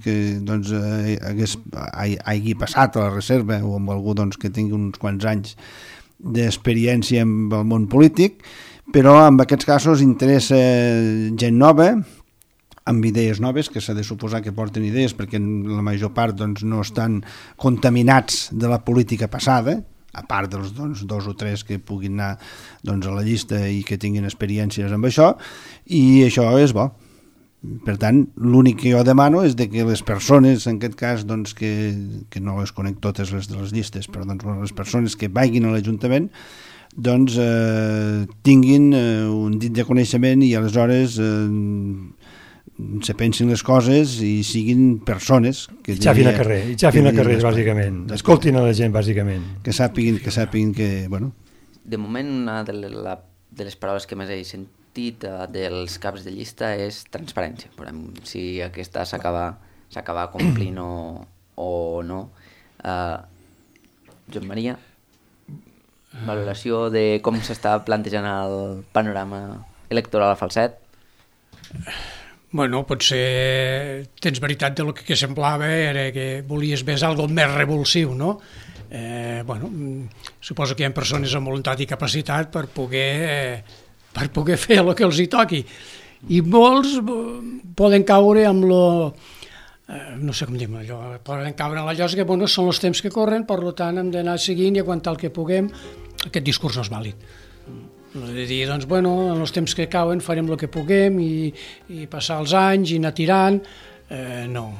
Speaker 5: que hagi passat a la reserva o amb algú que tingui uns quants anys d'experiència amb el món polític, però en aquests casos interessa gent nova, amb idees noves, que s'ha de suposar que porten idees, perquè la major part no estan contaminats de la política passada, a part dels 2 o 3 que puguin anar a la llista i que tinguin experiències amb això, i això és bo. Per tant, l'únic que jo demano és que les persones, en aquest cas, que no les conec totes les de les llistes, però les persones que vagin a l'Ajuntament tinguin un dit de coneixement i aleshores se pensin les coses i siguin persones que
Speaker 4: xafin a carrer, bàsicament. Escoltin a la gent, bàsicament.
Speaker 5: Que sàpiguen que, bueno...
Speaker 1: De moment, una de les paraules que més he sentit dels caps de llista és transparència. Veurem si aquesta s'acaba complint o no. Joan Maria, valoració de com s'està plantejant el panorama electoral a Falset?
Speaker 2: Bueno, potser tens veritat del que semblava era que volies més algo més revulsiu, no? Suposo que hi ha persones amb voluntat i capacitat per poder fer el que els hi toqui, i molts poden caure amb no sé com dir-ho allò, poden caure en la llosa que són els temps que corren, per tant hem d'anar seguint i aguantar el que puguem. Aquest discurs no és vàlid, de dir, en els temps que cauen farem el que puguem i passar els anys i anar tirant, no,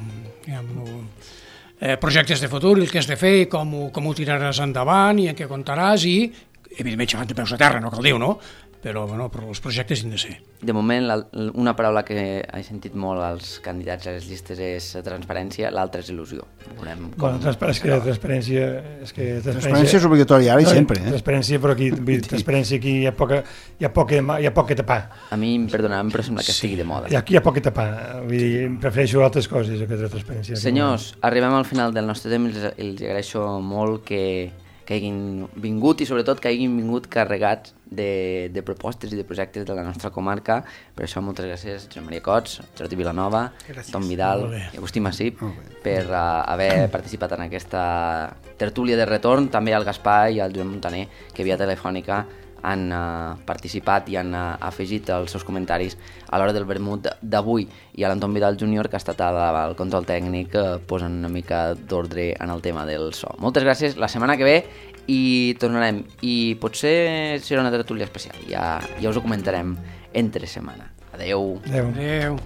Speaker 2: projectes de futur, el que has de fer, com ho tiraràs endavant i en què comptaràs, i evidentment xafant de peus a terra, no cal dir-ho, no? però els projectes han de ser.
Speaker 1: De moment, una paraula que he sentit molt als candidats a les llistes és transparència, l'altra és il·lusió.
Speaker 4: Transparència
Speaker 5: és obligatòria ara i sempre.
Speaker 4: Transparència, però aquí hi ha poc que tapar.
Speaker 1: A mi, perdona'm, però sembla que estigui de moda.
Speaker 4: Aquí hi ha poc que tapar, vull dir, prefereixo altres coses que la transparència.
Speaker 1: Senyors, arribem al final del nostre temps i els agraeixo molt que hagin vingut i sobretot que hagin vingut carregats de propostes i de projectes de la nostra comarca. Per això moltes gràcies Josep Maria Cots, Jordi Vilanova, Tom Vidal i Agustí Massip per haver participat en aquesta tertúlia de retorn, també al Gaspar i al Joan Montaner, que via telefònica han participat i han afegit els seus comentaris a l'hora del vermut d'avui, i a l'Anton Vidal Júnior, que ha estat al control tècnic posant una mica d'ordre en el tema del so. Moltes gràcies, la setmana que ve i tornarem, i potser serà una tertúlia especial, ja us ho comentarem entre setmana. Adeu.
Speaker 2: Adeu.